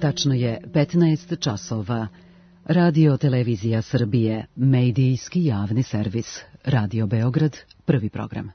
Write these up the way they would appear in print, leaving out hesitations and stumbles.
Tačno je 15 časova. Radio Televizija Srbije, medijski javni servis. Radio Beograd, prvi program.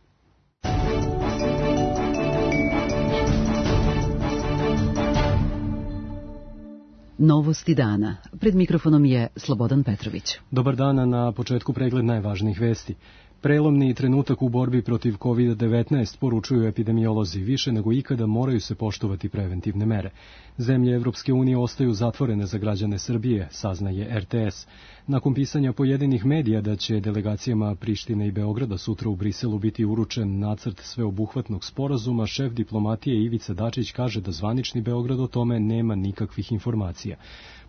Novosti dana. Pred mikrofonom je Slobodan Petrović. Dobar dan, na početku pregled najvažnijih vesti. Prelomni trenutak u borbi protiv COVID-19, poručuju epidemiolozi, više nego ikada moraju se poštovati preventivne mere. Zemlje Evropske unije ostaju zatvorene za građane Srbije, saznaje RTS. Nakon pisanja pojedinih medija da će delegacijama Prištine i Beograda sutra u Briselu biti uručen nacrt sveobuhvatnog sporazuma, šef diplomatije Ivica Dačić kaže da zvanični Beograd o tome nema nikakvih informacija.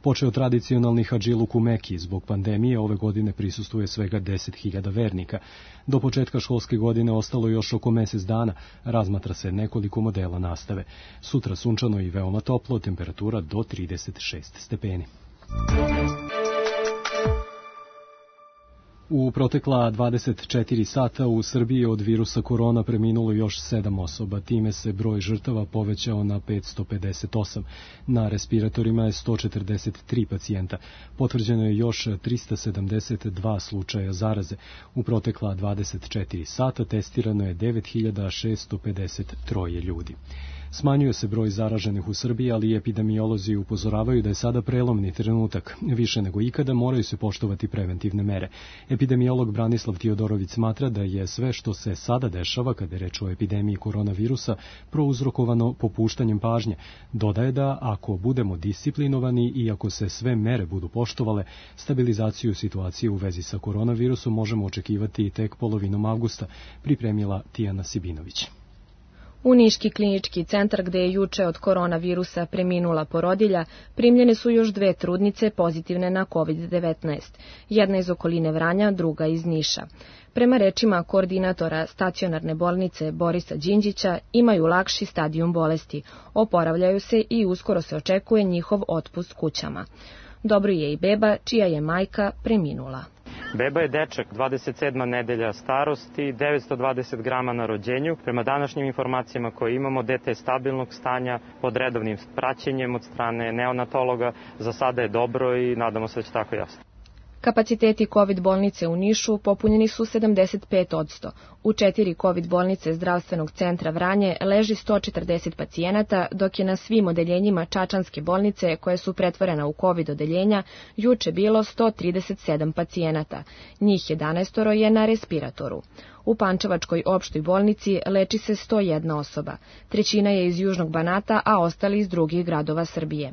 Počeo tradicionalni hadžiluk u Meki, zbog pandemije ove godine prisustvuje svega 10.000 vernika. Do početka školske godine ostalo još oko mesec dana, razmatra se nekoliko modela nastave. Sutra sunčano i veoma toplo, temperatura do 36 stepeni. U protekla 24 sata u Srbiji od virusa korona preminulo još 7 osoba, time se broj žrtava povećao na 558. Na respiratorima je 143 pacijenta. Potvrđeno je još 372 slučaja zaraze. U protekla 24 sata testirano je 9653 ljudi. Smanjuje se broj zaraženih u Srbiji, ali epidemiolozi upozoravaju da je sada prelomni trenutak. Više nego ikada moraju se poštovati preventivne mere. Epidemiolog Branislav Tiodorović smatra da je sve što se sada dešava kada je reč o epidemiji koronavirusa prouzrokovano popuštanjem pažnje. Dodaje da ako budemo disciplinovani i ako se sve mere budu poštovale, stabilizaciju situacije u vezi sa koronavirusom možemo očekivati tek polovinom avgusta, pripremila Tijana Sibinović. U Niški klinički centar, gde je juče od koronavirusa preminula porodilja, primljene su još 2 trudnice pozitivne na COVID-19. Jedna iz okoline Vranja, druga iz Niša. Prema rečima koordinatora stacionarne bolnice Borisa Đinđića, imaju lakši stadijum bolesti, oporavljaju se i uskoro se očekuje njihov otpust kućama. Dobro je i beba, čija je majka preminula. Beba je dečak, 27. nedelja starosti, 920 grama na rođenju. Prema današnjim informacijama koje imamo, dete je stabilnog stanja, pod redovnim praćenjem od strane neonatologa. Za sada je dobro i nadamo se da će tako jasno. Kapaciteti COVID bolnice u Nišu popunjeni su 75%. U 4 COVID bolnice zdravstvenog centra Vranje leži 140 pacijenata, dok je na svim odeljenjima Čačanske bolnice, koje su pretvorena u COVID odeljenja, juče bilo 137 pacijenata. Njih 11 je na respiratoru. U Pančevačkoj opštoj bolnici leči se 101 osoba. 1/3 je iz Južnog Banata, a ostali iz drugih gradova Srbije.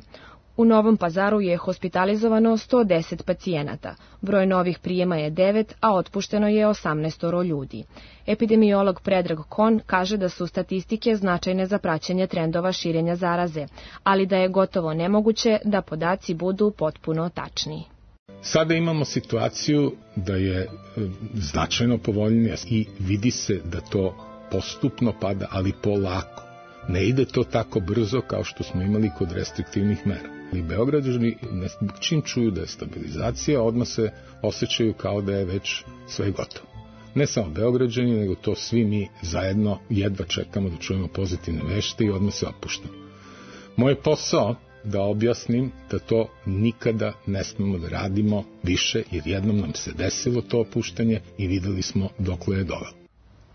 U Novom Pazaru je hospitalizovano 110 pacijenata. Broj novih prijema je 9, a otpušteno je 18 ljudi. Epidemiolog Predrag Kon kaže da su statistike značajne za praćenje trendova širenja zaraze, ali da je gotovo nemoguće da podaci budu potpuno tačni. Sada imamo situaciju da je značajno povoljnija i vidi se da to postupno pada, ali polako. Ne ide to tako brzo kao što smo imali kod restriktivnih mera. I Beograđani čim čuju da je stabilizacija, odmah se osjećaju kao da je već sve gotovo. Ne samo Beograđani, nego to svi mi zajedno jedva čekamo da čujemo pozitivne vesti i odmah se opuštamo. Moj posao da objasnim da to nikada ne smemo da radimo više, jer jednom nam se desilo to opuštanje i videli smo dokle je dovelo.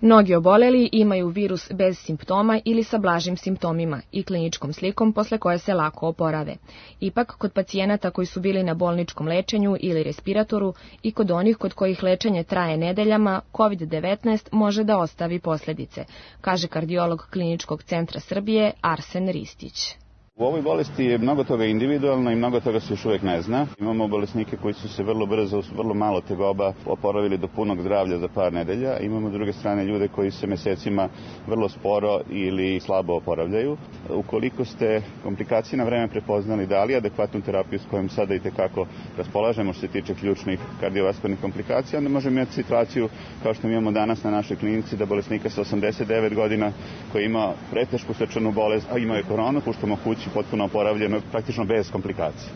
Mnogi oboleli imaju virus bez simptoma ili sa blažim simptomima i kliničkom slikom posle koje se lako oporave. Ipak, kod pacijenata koji su bili na bolničkom lečenju ili respiratoru i kod onih kod kojih lečenje traje nedeljama, COVID-19 može da ostavi posljedice, kaže kardiolog Kliničkog centra Srbije Arsen Ristić. U ovoj bolesti je mnogo toga individualno i mnogo toga se još uvijek ne zna. Imamo bolesnike koji su se vrlo brzo, uz vrlo malo tegoba oporavili do punog zdravlja za par nedelja. Imamo s druge strane ljude koji se mesecima vrlo sporo ili slabo oporavljaju. Ukoliko ste komplikacije na vreme prepoznali, dali adekvatnu terapiju s kojom sada i tekako raspolažemo što se tiče ključnih kardiovaskularnih komplikacija, onda možemo imati situaciju kao što mi imamo danas na našoj klinici da bolesnika sa 89 godina koji ima pretešku srčanu bolest, a imao je koronu, puštamo kući potpuno oporavljeno, praktično bez komplikacija.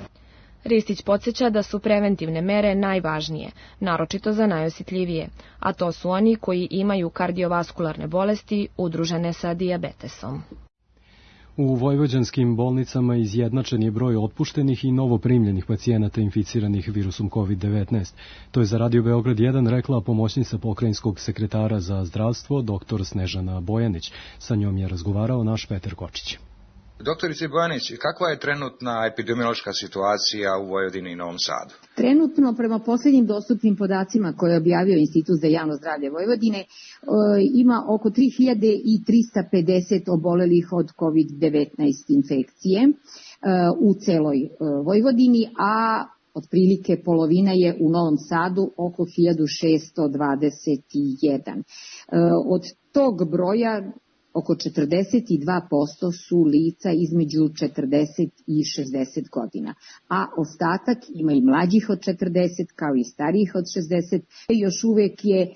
Ristić podsjeća da su preventivne mere najvažnije, naročito za najosjetljivije, a to su oni koji imaju kardiovaskularne bolesti udružene sa dijabetesom. U vojvođanskim bolnicama izjednačen je broj otpuštenih i novoprimljenih pacijenata inficiranih virusom COVID-19. To je za Radio Beograd 1 rekla pomoćnica pokrajinskog sekretara za zdravstvo dr. Snežana Bojanić. Sa njom je razgovarao naš Petar Kočić. Doktorice Bojanić, kakva je trenutna epidemiološka situacija u Vojvodini i Novom Sadu? Trenutno, prema posljednjim dostupnim podacima koje je objavio Institut za javno zdravlje Vojvodine, ima oko 3350 obolelih od COVID-19 infekcije u celoj Vojvodini, a otprilike polovina je u Novom Sadu, oko 1621. Od tog broja oko 42% su lica između 40 i 60 godina, a ostatak ima i mlađih od 40 kao i starijih od 60. Još uvek je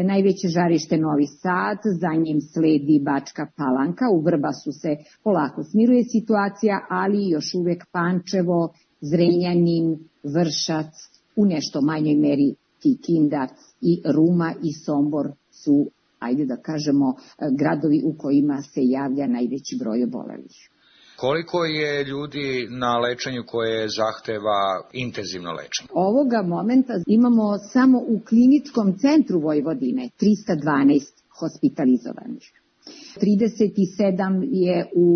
najveće žarište Novi Sad, za njim sledi Bačka Palanka, u Vrbasu se polako smiruje situacija, ali još uvek Pančevo, Zrenjanin, Vršac, u nešto manjoj meri Kikinda i Ruma i Sombor su, ajde da kažemo, gradovi u kojima se javlja najveći broj obolelih. Koliko je ljudi na lečenju koje zahteva intenzivno lečenje? Ovoga momenta imamo samo u kliničkom centru Vojvodine 312 hospitalizovanih. 37 je u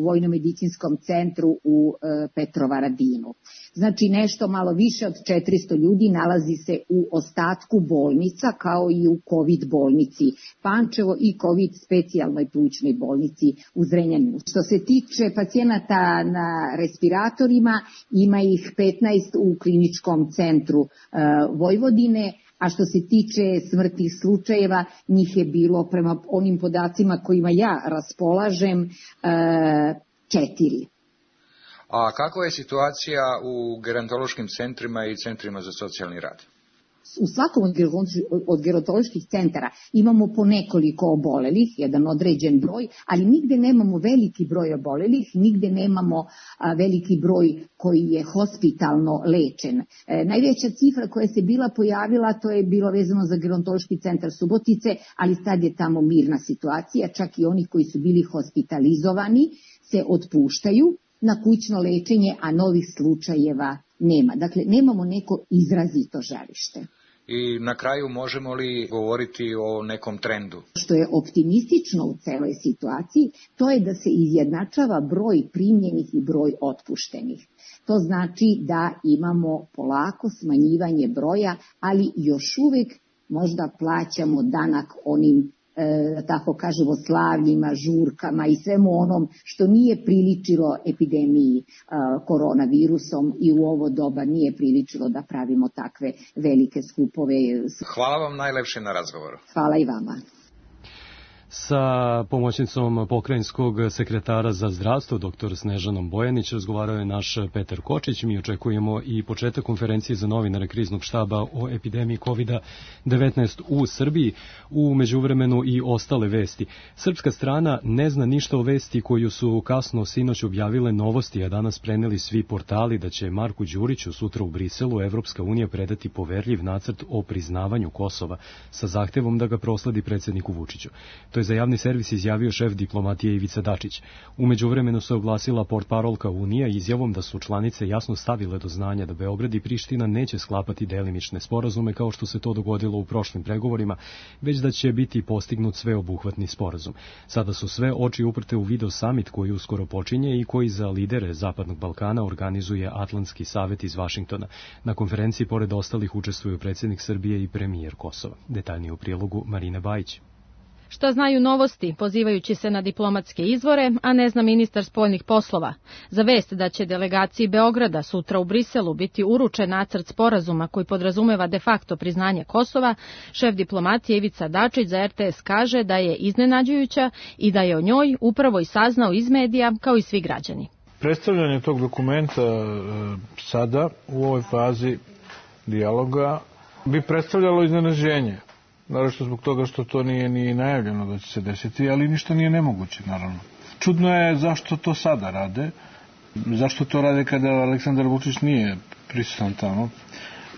Vojno-medicinskom centru u Petrovaradinu. Znači nešto malo više od 400 ljudi nalazi se u ostatku bolnica kao i u COVID bolnici Pančevo i COVID specijalnoj plućnoj bolnici u Zrenjaninu. Što se tiče pacijenata na respiratorima, ima ih 15 u kliničkom centru Vojvodine, a što se tiče smrtnih slučajeva, njih je bilo, prema onim podacima kojima ja raspolažem, 4. A kakva je situacija u gerontološkim centrima i centrima za socijalni rad? U svakom od gerontoloških centara imamo po nekoliko obolelih, jedan određen broj, ali nigde nemamo veliki broj obolelih, nigde nemamo veliki broj koji je hospitalno lečen. Najveća cifra koja se bila pojavila, to je bilo vezano za gerontološki centar Subotice, ali sad je tamo mirna situacija, čak i oni koji su bili hospitalizovani se otpuštaju na kućno lečenje, a novih slučajeva nema. Dakle, nemamo neko izrazito žarište. I na kraju možemo li govoriti o nekom trendu? Što je optimistično u celoj situaciji, to je da se izjednačava broj primljenih i broj otpuštenih. To znači da imamo polako smanjivanje broja, ali još uvek možda plaćamo danak onim, tako kažemo, slavljima, žurkama i svemu onom što nije priličilo epidemiji koronavirusom i u ovo doba nije priličilo da pravimo takve velike skupove. Hvala vam najlepše na razgovoru. Hvala i vama. Sa pomoćnicom pokrajinskog sekretara za zdravstvo, dr. Snežanom Bojanić, razgovarao je naš Petar Kočić. Mi očekujemo i početak konferencije za novinare kriznog štaba o epidemiji COVID-19 u Srbiji. U međuvremenu i ostale vesti. Srpska strana ne zna ništa o vesti koju su kasno sinoć objavile Novosti, a danas preneli svi portali da će Marku Đuriću sutra u Briselu Evropska unija predati poverljiv nacrt o priznavanju Kosova sa zahtevom da ga prosledi predsjedniku Vučiću. To je za javni servis izjavio šef diplomatije Ivica Dačić. U međuvremenu se oglasila portparolka Unija izjavom da su članice jasno stavile do znanja da Beograd i Priština neće sklapati delimične sporazume kao što se to dogodilo u prošlim pregovorima, već da će biti postignut sveobuhvatni sporazum. Sada su sve oči uprte u video summit koji uskoro počinje i koji za lidere Zapadnog Balkana organizuje Atlantski savet iz Vašingtona. Na konferenciji pored ostalih učestvuju predsjednik Srbije i premijer Kosova. Detaljnije u prilogu Marine Bajić. Šta znaju Novosti, pozivajući se na diplomatske izvore, a ne zna ministar spoljnih poslova. Za vest da će delegaciji Beograda sutra u Briselu biti uručen nacrt sporazuma koji podrazumeva de facto priznanje Kosova, šef diplomatije Ivica Dačić za RTS kaže da je iznenađujuća i da je o njoj upravo i saznao iz medija kao i svi građani. Predstavljanje tog dokumenta sada u ovoj fazi dijaloga bi predstavljalo iznenađenje. Naravno zbog toga što to nije ni najavljeno da će se desiti, ali ništa nije nemoguće, naravno. Čudno je zašto to sada rade, zašto to rade kada Aleksandar Vučić nije prisutan tamo.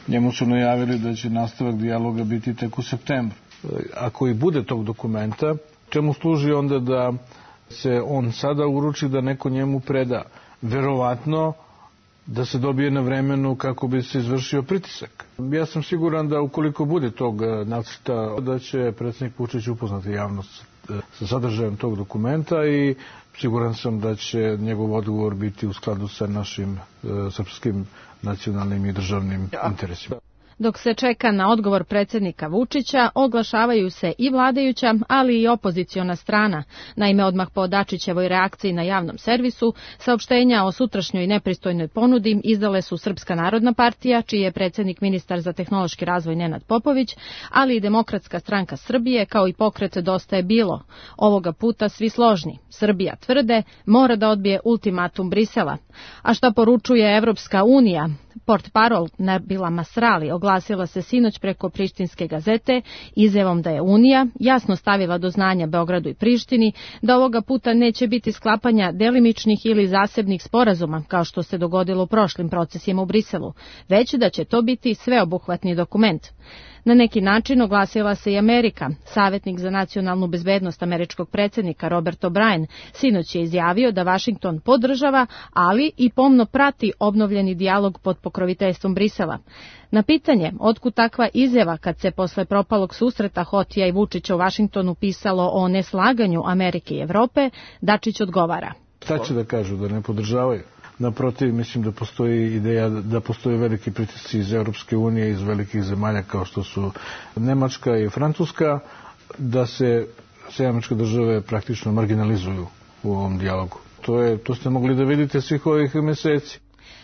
Njemu su najavili da će nastavak dijaloga biti tek u septembru. Ako i bude tog dokumenta, čemu služi onda da se on sada uruči da neko njemu preda. Verovatno da se dobije na vremenu kako bi se izvršio pritisak. Ja sam siguran da ukoliko bude tog nacrta, da će predsjednik Vučić upoznati javnost sa sadržajem tog dokumenta i siguran sam da će njegov odgovor biti u skladu sa našim srpskim nacionalnim i državnim interesima. Dok se čeka na odgovor predsjednika Vučića, oglašavaju se i vladajuća, ali i opoziciona strana. Naime, odmah po Dačićevoj reakciji na javnom servisu, saopštenja o sutrašnjoj nepristojnoj ponudi izdale su Srpska narodna partija, čiji je predsjednik ministar za tehnološki razvoj Nenad Popović, ali i Demokratska stranka Srbije, kao i pokret Dosta je bilo. Ovoga puta svi složni. Srbija, tvrde, mora da odbije ultimatum Brisela. A šta poručuje Evropska unija? Portparol Nabila Masrali oglasila se sinoć preko Prištinske gazete izjavom da je Unija jasno stavila do znanja Beogradu i Prištini da ovoga puta neće biti sklapanja delimičnih ili zasebnih sporazuma, kao što se dogodilo u prošlim procesima u Briselu, već da će to biti sveobuhvatni dokument. Na neki način oglasila se i Amerika. Savjetnik za nacionalnu bezbednost američkog predsjednika Robert O'Brien sinoć je izjavio da Vašington podržava, ali i pomno prati obnovljeni dijalog pod pokroviteljstvom Brisela. Na pitanje otkud takva izjava kad se posle propalog susreta Hotija i Vučića u Vašingtonu pisalo o neslaganju Amerike i Evrope, Dačić odgovara. Šta će da kažu, da ne podržavaju? Naprotiv, mislim da postoji ideja da postoje veliki pritisci iz Europske unije, iz velikih zemalja kao što su Nemačka i Francuska, da se Američke države praktično marginalizuju u ovom dijalogu. To ste mogli da vidite svih ovih meseci.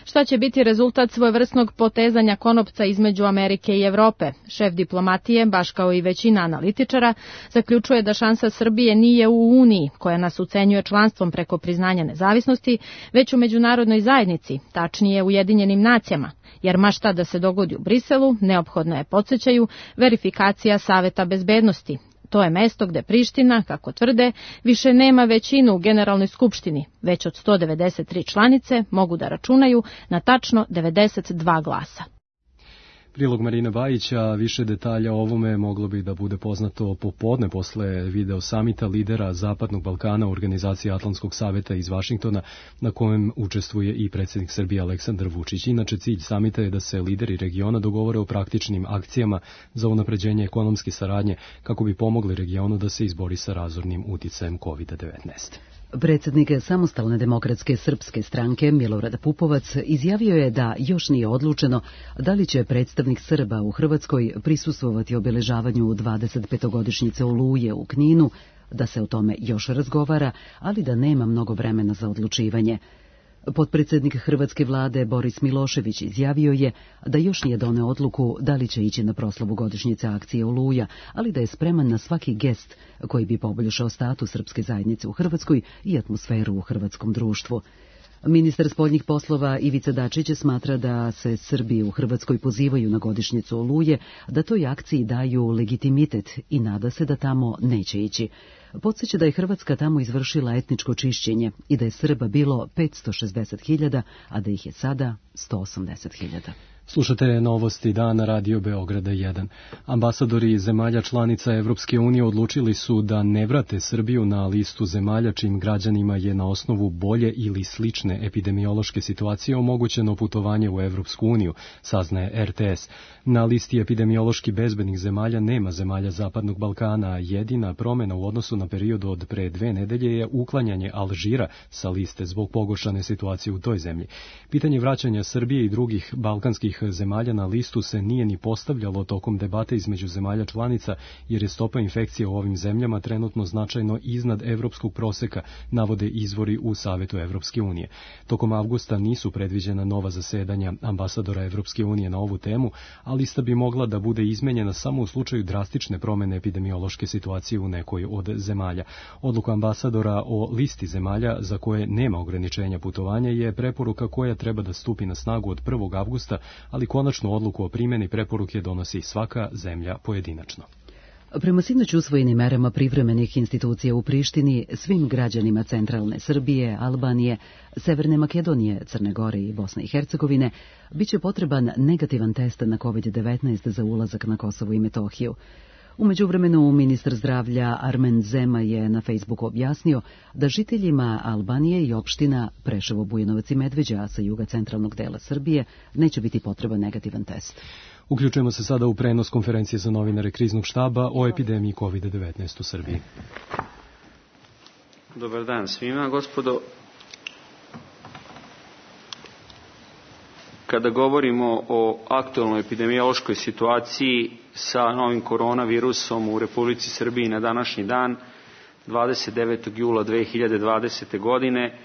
Šta će biti rezultat svojevrsnog potezanja konopca između Amerike i Evrope? Šef diplomatije, baš kao i većina analitičara, zaključuje da šansa Srbije nije u Uniji, koja nas ucenjuje članstvom preko priznanja nezavisnosti, već u međunarodnoj zajednici, tačnije Ujedinjenim nacijama, jer ma šta da se dogodi u Briselu, neophodna je, podsjećaju, verifikacija Saveta bezbednosti. To je mesto gde Priština, kako tvrde, više nema većinu u Generalnoj skupštini, već od 193 članice mogu da računaju na tačno 92 glasa. Prilog Marina Bajića, više detalja o ovome moglo bi da bude poznato popodne posle video samita lidera Zapadnog Balkana u organizaciji Atlantskog saveta iz Vašingtona, na kojem učestvuje i predsjednik Srbije Aleksandar Vučić. Inače, cilj samita je da se lideri regiona dogovore o praktičnim akcijama za unapređenje ekonomske saradnje kako bi pomogli regionu da se izbori sa razornim uticajem COVID-19. Predsjednik Samostalne demokratske srpske stranke Milorad Pupovac izjavio je da još nije odlučeno da li će predstavnik Srba u Hrvatskoj prisustvovati obeležavanju 25-godišnjice Oluje u Kninu, da se o tome još razgovara, ali da nema mnogo vremena za odlučivanje. Potpredsjednik hrvatske vlade Boris Milošević izjavio je da još nije doneo odluku da li će ići na proslavu godišnjice akcije Oluja, ali da je spreman na svaki gest koji bi poboljšao status srpske zajednice u Hrvatskoj i atmosferu u hrvatskom društvu. Ministar spoljnih poslova Ivica Dačić smatra da se Srbi u Hrvatskoj pozivaju na godišnjicu Oluje, da toj akciji daju legitimitet i nada se da tamo neće ići. Podsjeća da je Hrvatska tamo izvršila etničko čišćenje i da je Srba bilo 560.000, a da ih je sada 180.000. Slušate novosti dana Radio Beograda 1. Ambasadori zemalja članica Evropske unije odlučili su da ne vrate Srbiju na listu zemalja čijim građanima je na osnovu bolje ili slične epidemiološke situacije omogućeno putovanje u Evropsku uniju, saznaje RTS. Na listi epidemiološki bezbednih zemalja nema zemalja Zapadnog Balkana, a jedina promjena u odnosu na period od pre 2 nedelje je uklanjanje Alžira sa liste zbog pogoršane situacije u toj zemlji. Pitanje vraćanja Srbije i drugih balkanskih zemalja na listu se nije ni postavljalo tokom debate između zemalja članica, jer je stopa infekcije u ovim zemljama trenutno značajno iznad evropskog proseka, navode izvori u Savetu Evropske unije. Tokom avgusta nisu predviđena nova zasedanja ambasadora Evropske unije na ovu temu, a lista bi mogla da bude izmenjena samo u slučaju drastične promjene epidemiološke situacije u nekoj od zemalja. Odluka ambasadora o listi zemalja za koje nema ograničenja putovanja je preporuka koja treba da stupi na snagu od 1. avgusta, ali konačnu odluku o primjeni preporuke donosi svaka zemlja pojedinačno. Prema sinoć usvojenim merama privremenih institucija u Prištini, svim građanima centralne Srbije, Albanije, Severne Makedonije, Crne Gore i Bosne i Hercegovine biće potreban negativan test na COVID-19 za ulazak na Kosovo i Metohiju. U međuvremenu ministar zdravlja Armen Zema je na Facebooku objasnio da žiteljima Albanije i opština Preševo, Bujanovac i Medveđa sa juga centralnog dela Srbije neće biti potreban negativan test. Uključujemo se sada u prenos konferencije za novinare Kriznog štaba o epidemiji COVID-19 u Srbiji. Dobar dan svima, gospodo. Kada govorimo o aktualnoj epidemiološkoj situaciji sa novim koronavirusom u Republici Srbiji na današnji dan, 29. jula 2020. godine,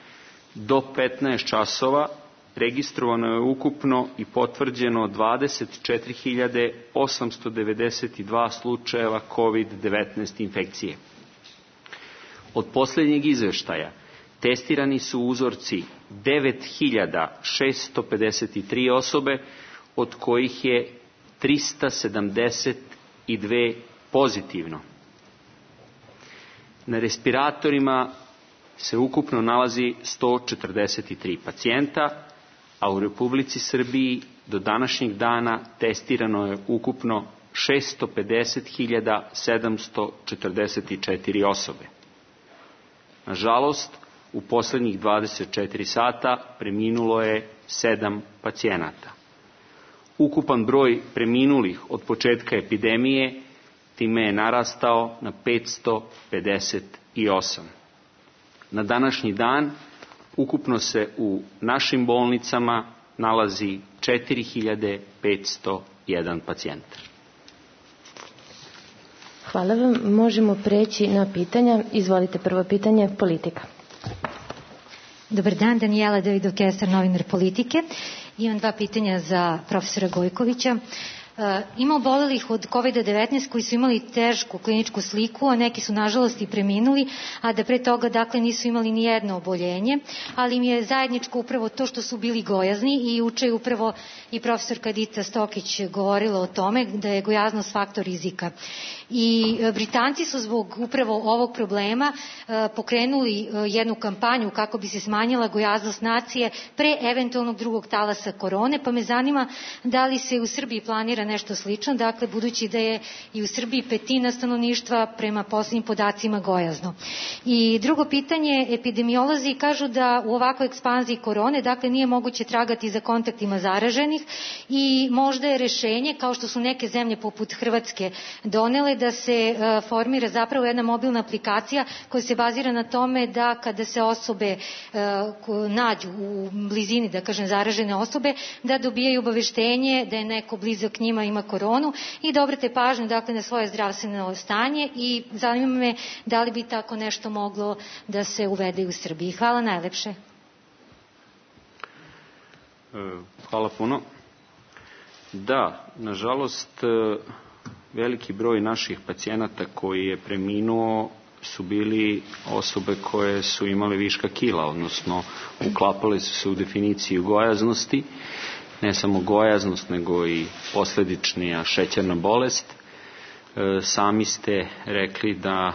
do 15 časova registrovano je ukupno i potvrđeno 24.892 slučajeva COVID-19 infekcije. Od posljednjeg izveštaja testirani su uzorci 9.653 osobe, od kojih je 372 pozitivno. Na respiratorima se ukupno nalazi 143 pacijenta, a u Republici Srbiji do današnjeg dana testirano je ukupno 650.744 osobe. Nažalost, u posljednjih 24 sata preminulo je 7 pacijenata. Ukupan broj preminulih od početka epidemije time je narastao na 558. Na današnji dan ukupno se u našim bolnicama nalazi 4.501 pacijent. Hvala vam. Možemo preći na pitanja. Izvolite, prvo pitanje, politika. Dobar dan, Danijela Davidov-Kesar, novinar Politike. Imam dva pitanja za profesora Gojkovića. Ima obolelih od COVID-19 koji su imali tešku kliničku sliku, a neki su nažalost i preminuli, a da pre toga dakle nisu imali ni jedno oboljenje, ali im je zajedničko upravo to što su bili gojazni i juče je upravo i profesorka Dita Stokić govorila o tome da je gojaznost faktor rizika. I Britanci su zbog upravo ovog problema pokrenuli jednu kampanju kako bi se smanjila gojaznost nacije pre eventualnog drugog talasa korone, pa me zanima da li se u Srbiji planira nešto slično, dakle budući da je i u Srbiji 1/5 stanovništva prema posljednjim podacima gojazno. I drugo pitanje, epidemiolozi kažu da u ovakvoj ekspanziji korone, dakle nije moguće tragati za kontaktima zaraženih i možda je rešenje, kao što su neke zemlje poput Hrvatske donele, da se formira zapravo jedna mobilna aplikacija koja se bazira na tome da kada se osobe nađu u blizini, da kažem, zaražene osobe, da dobijaju obaveštenje da je neko blizak njima ima koronu i da obrate pažnju dakle na svoje zdravstveno stanje i zanima me da li bi tako nešto moglo da se uvede u Srbiji. Hvala najlepše. Hvala puno. Da, nažalost, veliki broj naših pacijenata koji je preminuo su bili osobe koje su imale viška kila, odnosno uklapale su se u definiciju gojaznosti, ne samo gojaznost, nego i posljedičnija šećerna bolest. Sami ste rekli da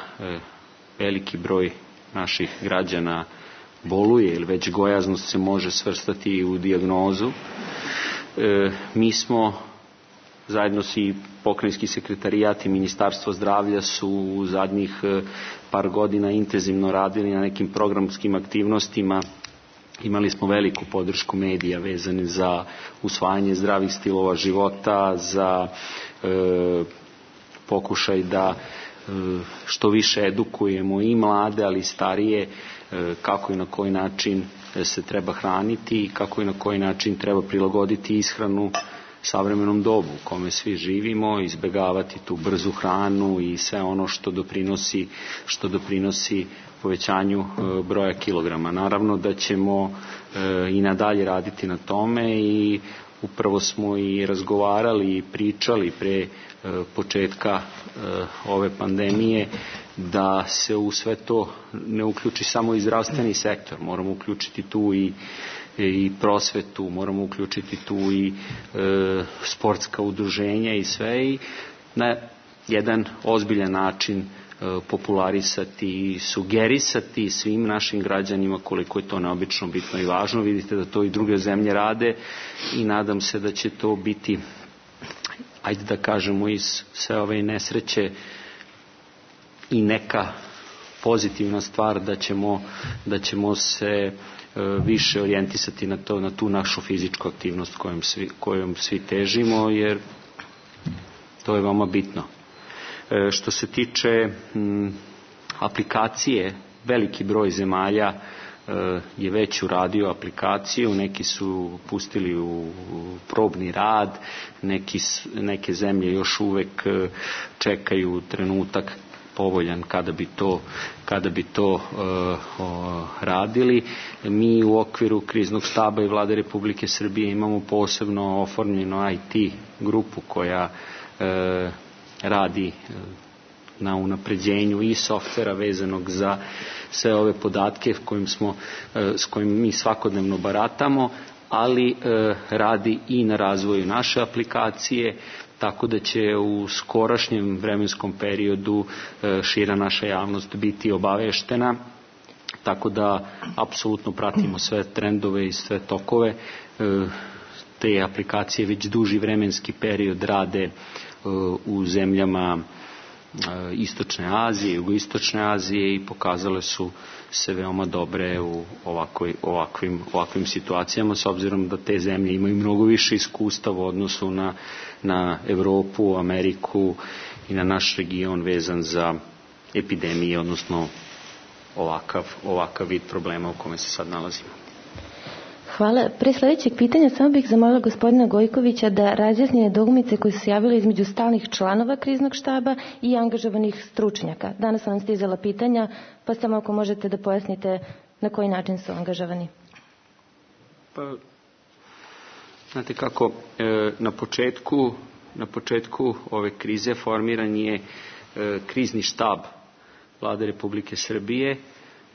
veliki broj naših građana boluje ili već gojaznost se može svrstati i u dijagnozu. Mi smo zajedno i pokrajinski sekretarijat i Ministarstvo zdravlja su u zadnjih par godina intenzivno radili na nekim programskim aktivnostima. Imali smo veliku podršku medija vezane za usvajanje zdravih stilova života, za pokušaj da što više edukujemo i mlade, ali i starije, kako i na koji način se treba hraniti i kako i na koji način treba prilagoditi ishranu savremenom dobu u kome svi živimo, izbjegavati tu brzu hranu i sve ono što doprinosi povećanju broja kilograma. Naravno da ćemo i nadalje raditi na tome i upravo smo i razgovarali i pričali pre početka ove pandemije da se u sve to ne uključi samo i zdravstveni sektor. Moramo uključiti tu i prosvetu, moramo uključiti tu i sportska udruženja i sve i na jedan ozbiljan način popularisati i sugerisati svim našim građanima koliko je to neobično bitno i važno. Vidite da to i druge zemlje rade i nadam se da će to biti ajde da kažemo, iz sve ove nesreće i neka pozitivna stvar da ćemo se više orijentisati na tu našu fizičku aktivnost kojom svi težimo, jer to je veoma bitno. Što se tiče aplikacije, veliki broj zemalja je već uradio aplikaciju, neki su pustili u probni rad, neke zemlje još uvek čekaju trenutak povoljan kada bi to radili. Mi u okviru kriznog štaba i Vlade Republike Srbije imamo posebno oformljeno IT grupu koja radi na unapređenju i softvera vezanog za sve ove podatke s kojim mi svakodnevno baratamo, ali radi i na razvoju naše aplikacije, tako da će u skorašnjem vremenskom periodu šira naša javnost biti obaveštena, tako da apsolutno pratimo sve trendove i sve tokove. Te aplikacije već duži vremenski period rade u zemljama Istočne Azije, Jugoistočne Azije i pokazale su se veoma dobre u ovakvim situacijama, s obzirom da te zemlje imaju mnogo više iskustva u odnosu na Evropu, Ameriku i na naš region vezan za epidemije, odnosno ovakav vid problema u kome se sad nalazimo. Hvala. Pre sledećeg pitanja samo bih zamolila gospodina Gojkovića da razjasni nedoumice koje su se javile između stalnih članova kriznog štaba i angažovanih stručnjaka. Danas vam stizala pitanja, pa samo ako možete da pojasnite na koji način su angažovani. Pa, znate kako, na početku ove krize formiran je krizni štab Vlade Republike Srbije,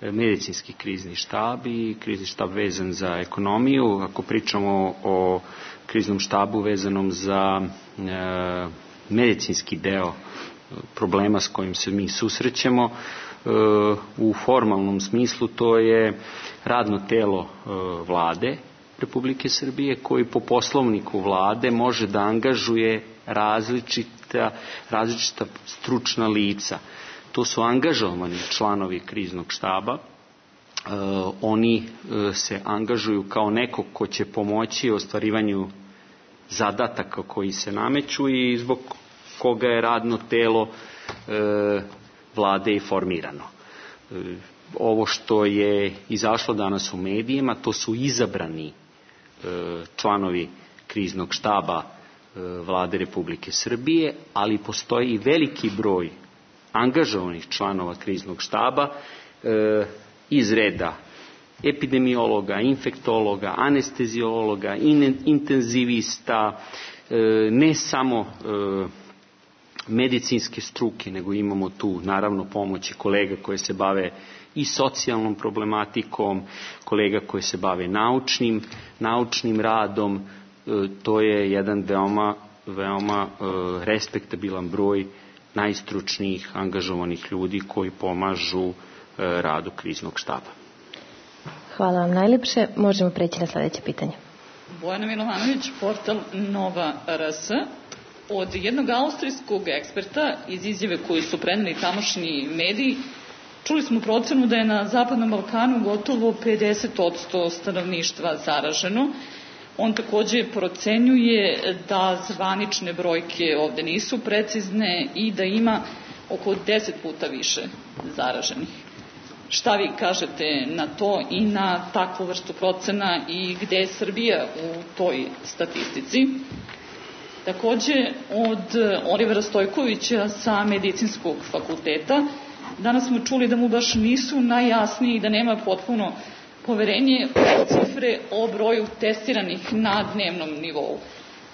medicinski krizni štab i krizni štab vezan za ekonomiju. Ako pričamo o kriznom štabu vezanom za medicinski deo problema s kojim se mi susrećemo, u formalnom smislu to je radno telo Vlade Republike Srbije koji po poslovniku Vlade može da angažuje različita stručna lica. To su angažovani članovi kriznog štaba. Oni se angažuju kao neko ko će pomoći ostvarivanju zadataka koji se nameću i zbog koga je radno telo Vlade i formirano. Ovo što je izašlo danas u medijima, to su izabrani članovi kriznog štaba Vlade Republike Srbije, ali postoji i veliki broj angažovanih članova kriznog štaba iz reda epidemiologa, infektologa, anesteziologa, intenzivista, ne samo medicinske struke, nego imamo tu naravno pomoći kolega koje se bave i socijalnom problematikom, kolega koje se bave naučnim radom. To je jedan veoma respektabilan broj najstručnijih angažovanih ljudi koji pomažu radu kriznog štaba. Hvala vam najlepše. Možemo preći na sledeće pitanje. Bojana Milovanović, portal Nova RS. Od jednog austrijskog eksperta iz izjave koju su preneli tamošnji mediji, čuli smo procenu da je na Zapadnom Balkanu gotovo 50% stanovništva zaraženo. On takođe procenjuje da zvanične brojke ovde nisu precizne i da ima oko 10 puta više zaraženih. Šta vi kažete na to i na takvu vrstu procena i gde je Srbija u toj statistici? Takođe, od Olivera Stojkovića sa Medicinskog fakulteta, danas smo čuli da mu baš nisu najjasniji i da nema potpuno poverenje u cifre o broju testiranih na dnevnom nivou.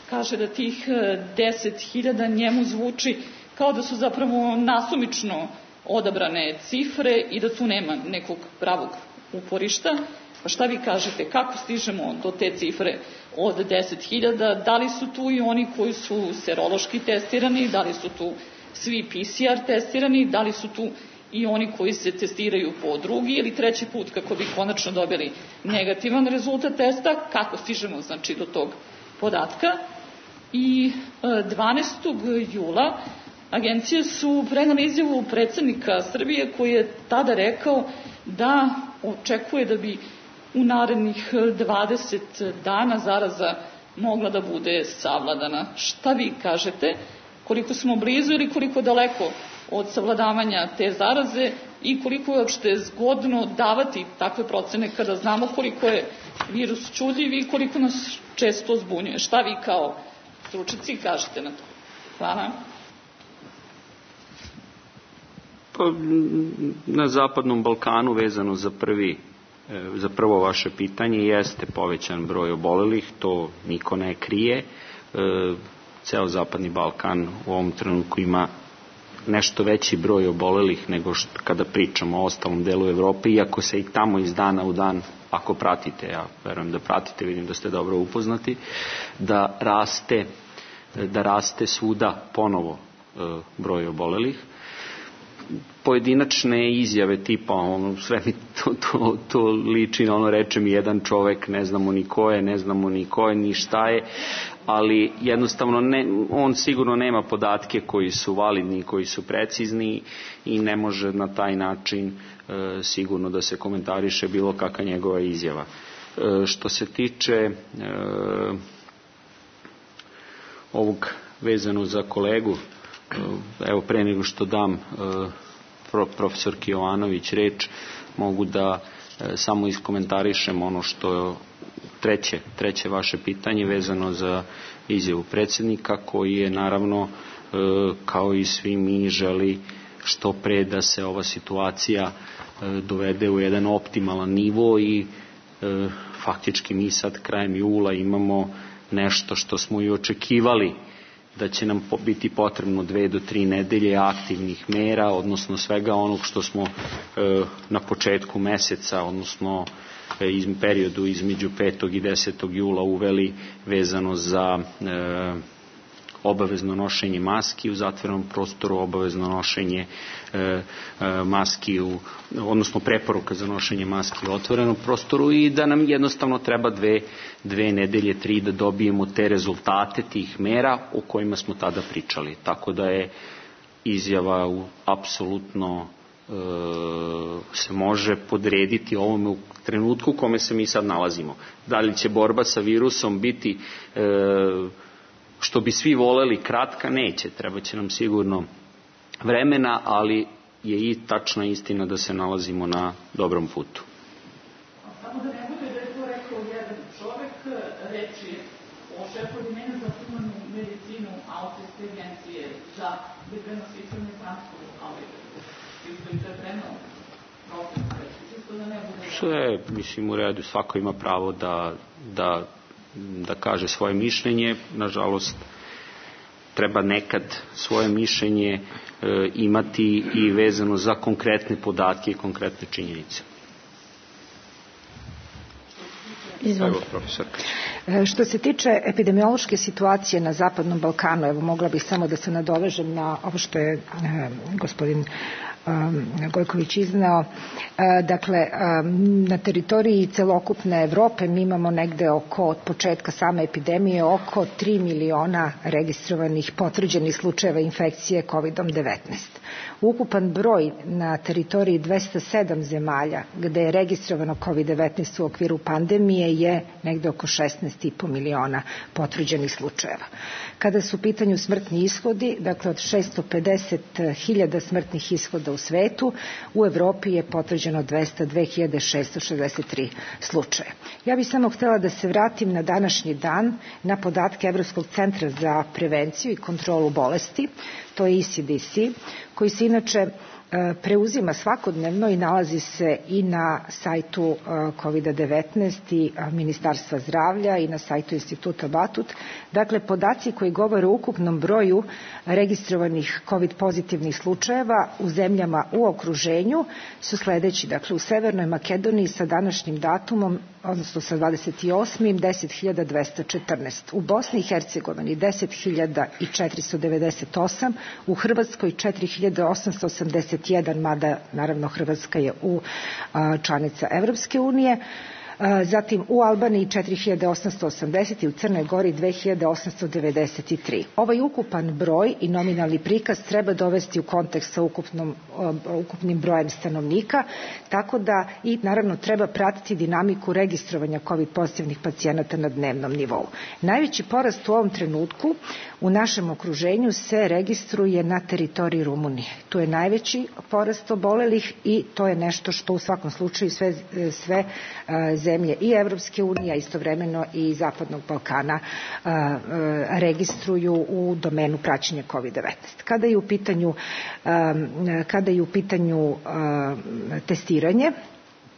Kaže da tih 10.000 njemu zvuči kao da su zapravo nasumično odabrane cifre i da tu nema nekog pravog uporišta. Pa šta vi kažete, kako stižemo do te cifre od 10.000? Da li su tu i oni koji su serološki testirani, da li su tu svi PCR testirani, da li su tu i oni koji se testiraju po drugi ili treći put kako bi konačno dobili negativan rezultat testa, kako stižemo znači do tog podatka? I 12. jula agencije su prenale izjavu predsednika Srbije koji je tada rekao da očekuje da bi u narednih 20 dana zaraza mogla da bude savladana. Šta vi kažete? Koliko smo blizu ili koliko daleko od savladavanja te zaraze i koliko je uopšte zgodno davati takve procene kada znamo koliko je virus čudljiv i koliko nas često zbunjuje? Šta vi kao stručnjaci kažete na to? Hvala. Pa, na Zapadnom Balkanu vezano za prvo vaše pitanje jeste povećan broj obolelih, to niko ne krije. Ceo Zapadni Balkan u ovom trenutku ima nešto veći broj obolelih nego kada pričamo o ostalom delu Evrope, iako se i tamo iz dana u dan, ako pratite, ja verujem da pratite, vidim da ste dobro upoznati, da raste svuda ponovo broj obolelih. Pojedinačne izjave tipa sve mi to liči na reče mi jedan čovek, ne znamo ni ko je, ni šta je, ali jednostavno on sigurno nema podatke koji su validni, koji su precizni i ne može na taj način sigurno da se komentariše bilo kakva njegova izjava. Što se tiče ovog vezano za kolegu, evo pre nego što dam profesorki Jovanović reč, mogu da samo iskomentarišem ono što treće vaše pitanje vezano za izjavu predsjednika, koji je naravno kao i svi mi želi što pre da se ova situacija dovede u jedan optimalan nivo i faktički mi sad krajem jula imamo nešto što smo i očekivali da će nam biti potrebno 2 do 3 nedelje aktivnih mera, odnosno svega onog što smo na početku meseca, odnosno periodu između 5. i 10. jula uveli vezano za obavezno nošenje maski u zatvorenom prostoru, obavezno nošenje maski odnosno preporuka za nošenje maski u otvorenom prostoru i da nam jednostavno treba 2 nedelje, 3 da dobijemo te rezultate tih mera o kojima smo tada pričali. Tako da je izjava apsolutno se može podrediti ovome u trenutku u kome se mi sad nalazimo. Da li će borba sa virusom biti što bi svi voleli kratka? Neće, treba će nam sigurno vremena, ali je i tačna istina da se nalazimo na dobrom putu. Samo da ne bude da je to rekao jedan čovek, reči o šefu odjeljenja za humanu medicinu Austrijske agencije za bezbednosno i transport, ali to je prenao profesor. Sve, mislim, u redu, svako ima pravo da kaže svoje mišljenje. Nažalost, treba nekad svoje mišljenje imati i vezano za konkretne podatke i konkretne činjenice. Što se tiče epidemiološke situacije na Zapadnom Balkanu, evo mogla bih samo da se nadovežem na ovo što je gospodin Gojković izneo. Dakle, na teritoriji celokupne Evrope mi imamo negde od početka same epidemije oko 3 miliona registrovanih potvrđenih slučajeva infekcije COVID-19. Ukupan broj na teritoriji 207 zemalja gde je registrovano COVID-19 u okviru pandemije je negde oko 16,5 miliona potvrđenih slučajeva. Kada su u pitanju smrtni ishodi, dakle od 650.000 smrtnih ishoda u svetu, u Evropi je potvrđeno 202.663 slučaja. Ja bih samo htjela da se vratim na današnji dan, na podatke Evropskog centra za prevenciju i kontrolu bolesti, to je ECDC, koji se inače preuzima svakodnevno i nalazi se i na sajtu COVID-19 i Ministarstva zdravlja i na sajtu Instituta Batut. Dakle, podaci koji govore o ukupnom broju registrovanih COVID pozitivnih slučajeva u zemljama u okruženju su sledeći. Dakle, u Severnoj Makedoniji sa današnjim datumom, odnosno sa 28. 10.214. U Bosni i Hercegovini 10.498. U Hrvatskoj 4.881, mada naravno Hrvatska je članica Evropske unije. zatim u Albaniji 4880 i u Crnoj Gori 2893. Ovaj ukupan broj i nominalni prikaz treba dovesti u kontekst sa ukupnim brojem stanovnika, tako da i naravno treba pratiti dinamiku registrovanja COVID pozitivnih pacijenata na dnevnom nivou. Najveći porast u ovom trenutku u našem okruženju se registruje na teritoriji Rumunije. Tu je najveći porast obolelih i to je nešto što u svakom slučaju sve zemlje i Evropske unije, a istovremeno i Zapadnog Balkana registruju u domenu praćenja COVID-19. Kada je u pitanju testiranje,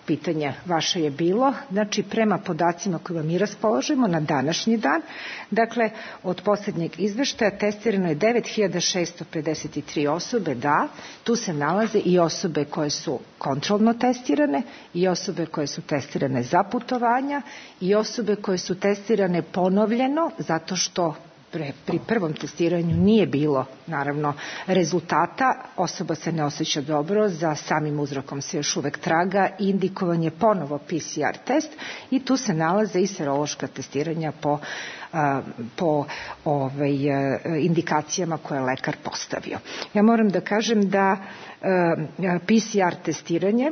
pitanje vaše je bilo, znači prema podacima kojima mi raspoložimo na današnji dan, dakle od posljednjeg izveštaja testirano je 9653 osobe, da, tu se nalaze i osobe koje su kontrolno testirane, i osobe koje su testirane za putovanja, i osobe koje su testirane ponovljeno, zato što pri prvom testiranju nije bilo naravno rezultata, osoba se ne osjeća dobro, za samim uzrokom se još uvek traga, indikovan je ponovo PCR test i tu se nalaze i serološka testiranja po indikacijama koje je lekar postavio. Ja moram da kažem da PCR testiranje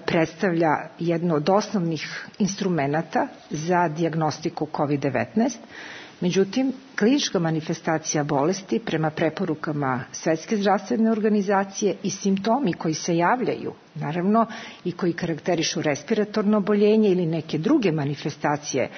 predstavlja jedno od osnovnih instrumenata za dijagnostiku COVID-19. Međutim, klinička manifestacija bolesti prema preporukama Svetske zdravstvene organizacije i simptomi koji se javljaju, naravno, i koji karakterišu respiratorno oboljenje ili neke druge manifestacije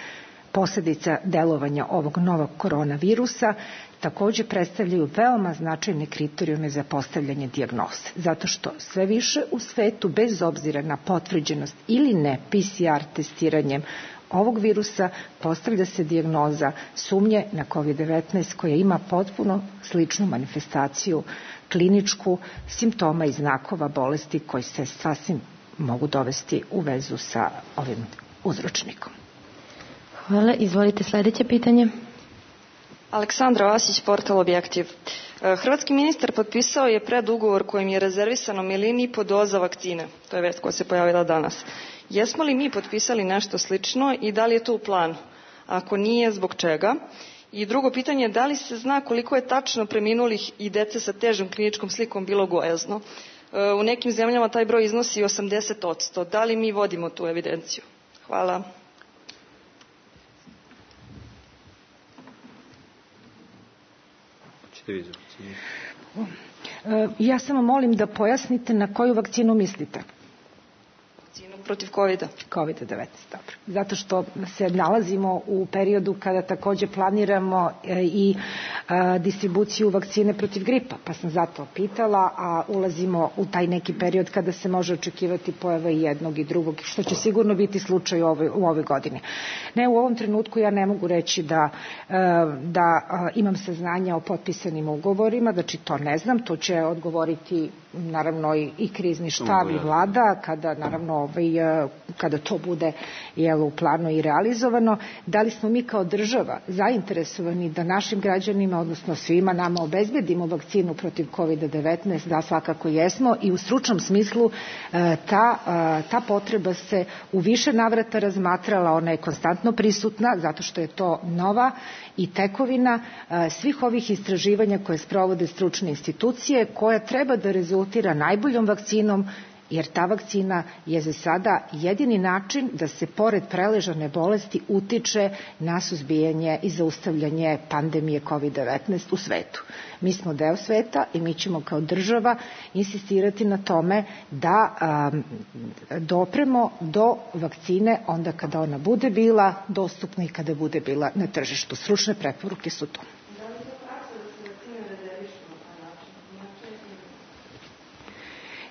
posljedica delovanja ovog novog koronavirusa, također predstavljaju veoma značajne kriterijume za postavljanje dijagnoze. Zato što sve više u svetu, bez obzira na potvrđenost ili ne PCR testiranjem ovog virusa, postavlja se dijagnoza sumnje na COVID-19 koja ima potpuno sličnu manifestaciju kliničku simptoma i znakova bolesti koji se sasvim mogu dovesti u vezu sa ovim uzročnikom. Hvala. Izvolite sljedeće pitanje. Aleksandra Vasić, portal Objektiv. Hrvatski ministar potpisao je predugovor kojim je rezervisano 1,5 miliona doza vakcine. To je vest koja se pojavila danas. Jesmo li mi potpisali nešto slično i da li je to u planu? Ako nije, zbog čega? I drugo pitanje, da li se zna koliko je tačno preminulih i dece sa težom kliničkom slikom bilo gojazno? U nekim zemljama taj broj iznosi 80%. Da li mi vodimo tu evidenciju? Hvala. Ja samo molim da pojasnite na koju vakcinu mislite. Protiv COVID-a. COVID-19, dobro. Zato što se nalazimo u periodu kada također planiramo i distribuciju vakcine protiv gripa, pa sam zato pitala, a ulazimo u taj neki period kada se može očekivati pojava i jednog i drugog, što će sigurno biti slučaj u ovoj godini. Ne, u ovom trenutku ja ne mogu reći da imam saznanja o potpisanim ugovorima, znači to ne znam, to će odgovoriti naravno i krizni štab i vlada, kada naravno kada to bude u planu i realizovano. Da li smo mi kao država zainteresovani da našim građanima, odnosno svima nama, obezbedimo vakcinu protiv COVID-19? Da, svakako jesmo, i u stručnom smislu ta potreba se u više navrata razmatrala, ona je konstantno prisutna zato što je to nova i tekovina svih ovih istraživanja koje sprovode stručne institucije, koja treba da rezultira najboljom vakcinom, jer ta vakcina je za sada jedini način da se pored preležane bolesti utiče na suzbijanje i zaustavljanje pandemije COVID-19 u svetu. Mi smo deo sveta i mi ćemo kao država insistirati na tome da dopremo do vakcine onda kada ona bude bila dostupna i kada bude bila na tržištu. Stručne preporuke su to.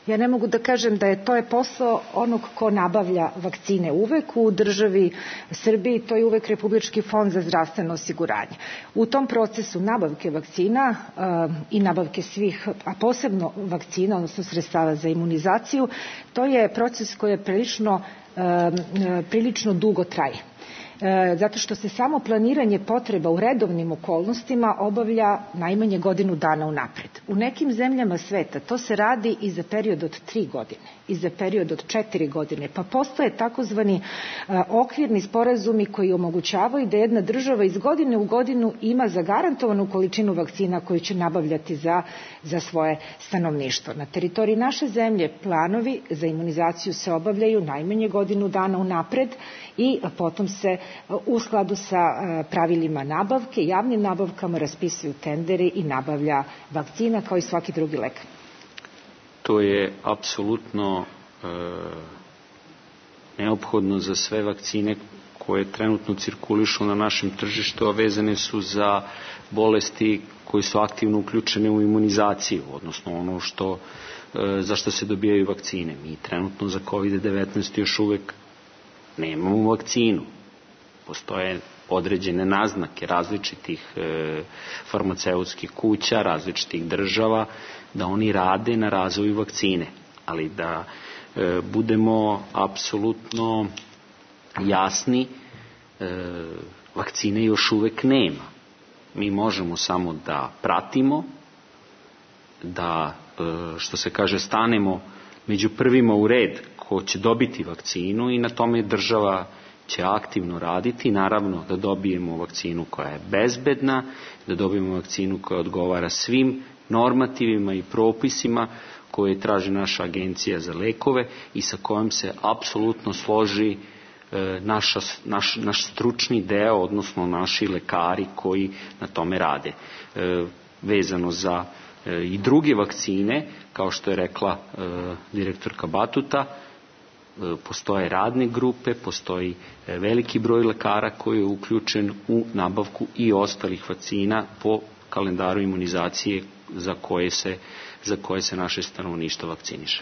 Ja ne mogu da kažem da je to posao onog ko nabavlja vakcine uvek u državi Srbiji, to je uvek Republički fond za zdravstveno osiguranje. U tom procesu nabavke vakcina i nabavke svih, a posebno vakcina, odnosno sredstava za imunizaciju, to je proces koji je prilično dugo traje. zato što se samo planiranje potreba u redovnim okolnostima obavlja najmanje godinu dana unapred. U nekim zemljama sveta to se radi i za period od 3 godine, i za period od 4 godine, pa postoje takozvani okvirni sporazumi koji omogućavaju da jedna država iz godine u godinu ima zagarantovanu količinu vakcina koju će nabavljati za svoje stanovništvo. Na teritoriji naše zemlje planovi za imunizaciju se obavljaju najmanje godinu dana unapred i potom se u skladu sa pravilima nabavke, javnim nabavkama raspisuju tenderi i nabavlja vakcina kao i svaki drugi lek. To je apsolutno neophodno za sve vakcine koje trenutno cirkulišu na našem tržištu, a vezane su za bolesti koje su aktivno uključene u imunizaciju, odnosno ono za što se dobijaju vakcine. Mi trenutno za COVID-19 još uvek nemamo vakcinu. Postoje određene naznake različitih farmaceutskih kuća, različitih država, da oni rade na razvoju vakcine. Ali da budemo apsolutno jasni, vakcine još uvek nema. Mi možemo samo da pratimo, da, što se kaže, stanemo među prvima u red ko će dobiti vakcinu i na tome država će aktivno raditi, naravno da dobijemo vakcinu koja je bezbedna, da dobijemo vakcinu koja odgovara svim normativima i propisima koje traži naša agencija za lekove i sa kojom se apsolutno složi naš stručni deo, odnosno naši lekari koji na tome rade. Vezano za i druge vakcine, kao što je rekla direktorka Batuta, postoje radne grupe, postoji veliki broj lekara koji je uključen u nabavku i ostalih vakcina po kalendaru imunizacije za koje se naše stanovništvo vakciniše.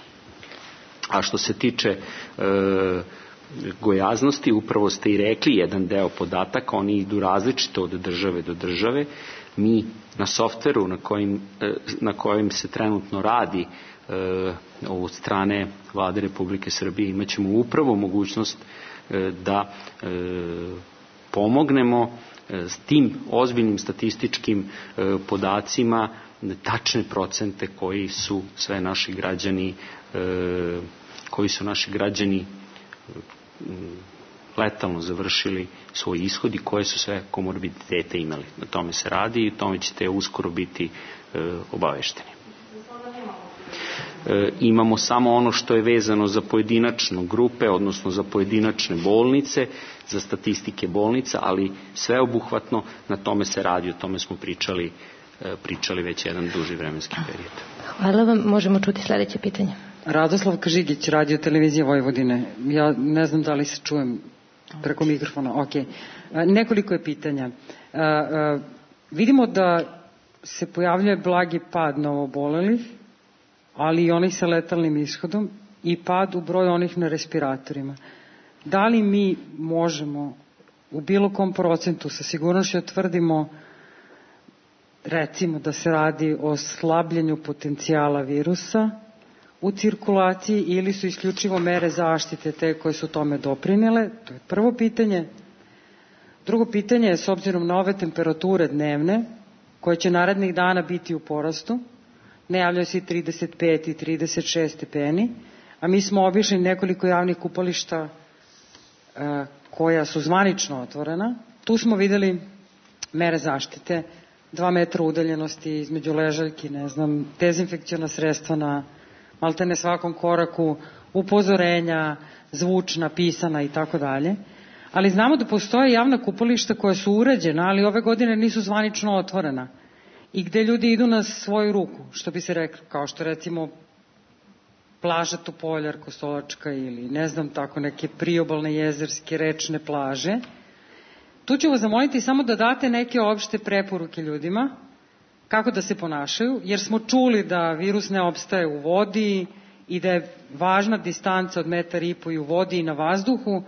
A što se tiče gojaznosti, upravo ste i rekli, jedan deo podataka, oni idu različito od države do države. Mi na softveru na kojem se trenutno radi od strane Vlade Republike Srbije imat ćemo upravo mogućnost da pomognemo s tim ozbiljnim statističkim podacima tačne procente koji su naši građani letalno završili svoj ishod i koje su sve komorbiditete imali. Na tome se radi i tome ćete uskoro biti obavešteni. Imamo samo ono što je vezano za pojedinačne grupe, odnosno za pojedinačne bolnice, za statistike bolnica, ali sveobuhvatno na tome se radi, o tome smo pričali već jedan duži vremenski period. Hvala vam, možemo čuti sledeće pitanje. Radoslav Kažigić, Radio televizija Vojvodine. Ja ne znam da li se čujem preko mikrofona. Ok. Nekoliko je pitanja. Vidimo da se pojavljuje blagi pad novoobolelih, ali i onih sa letalnim ishodom i pad u broju onih na respiratorima. Da li mi možemo u bilo kom procentu sa sigurnošću tvrdimo, recimo, da se radi o slabljenju potencijala virusa u cirkulaciji ili su isključivo mere zaštite te koje su tome doprinele? To je prvo pitanje. Drugo pitanje je, s obzirom na ove temperature dnevne, koje će narednih dana biti u porastu, najavljaju se i 35 i 36 stepeni, a mi smo obišli nekoliko javnih kupališta koja su zvanično otvorena. Tu smo videli mere zaštite, 2 metra udaljenosti između ležaljki, dezinfekciona sredstva na maltene svakom koraku, upozorenja, zvučna, pisana i tako dalje. Ali znamo da postoje javna kupališta koja su uređena, ali ove godine nisu zvanično otvorena i gde ljudi idu na svoju ruku, što bi se reklo, kao što recimo plaža Topoljar, Kostolačka ili tako neke priobalne, jezerske, rečne plaže. Tu ću vas zamoliti samo da date neke opšte preporuke ljudima kako da se ponašaju, jer smo čuli da virus ne opstaje u vodi i da je važna distanca od 1,5 metra i u vodi i na vazduhu,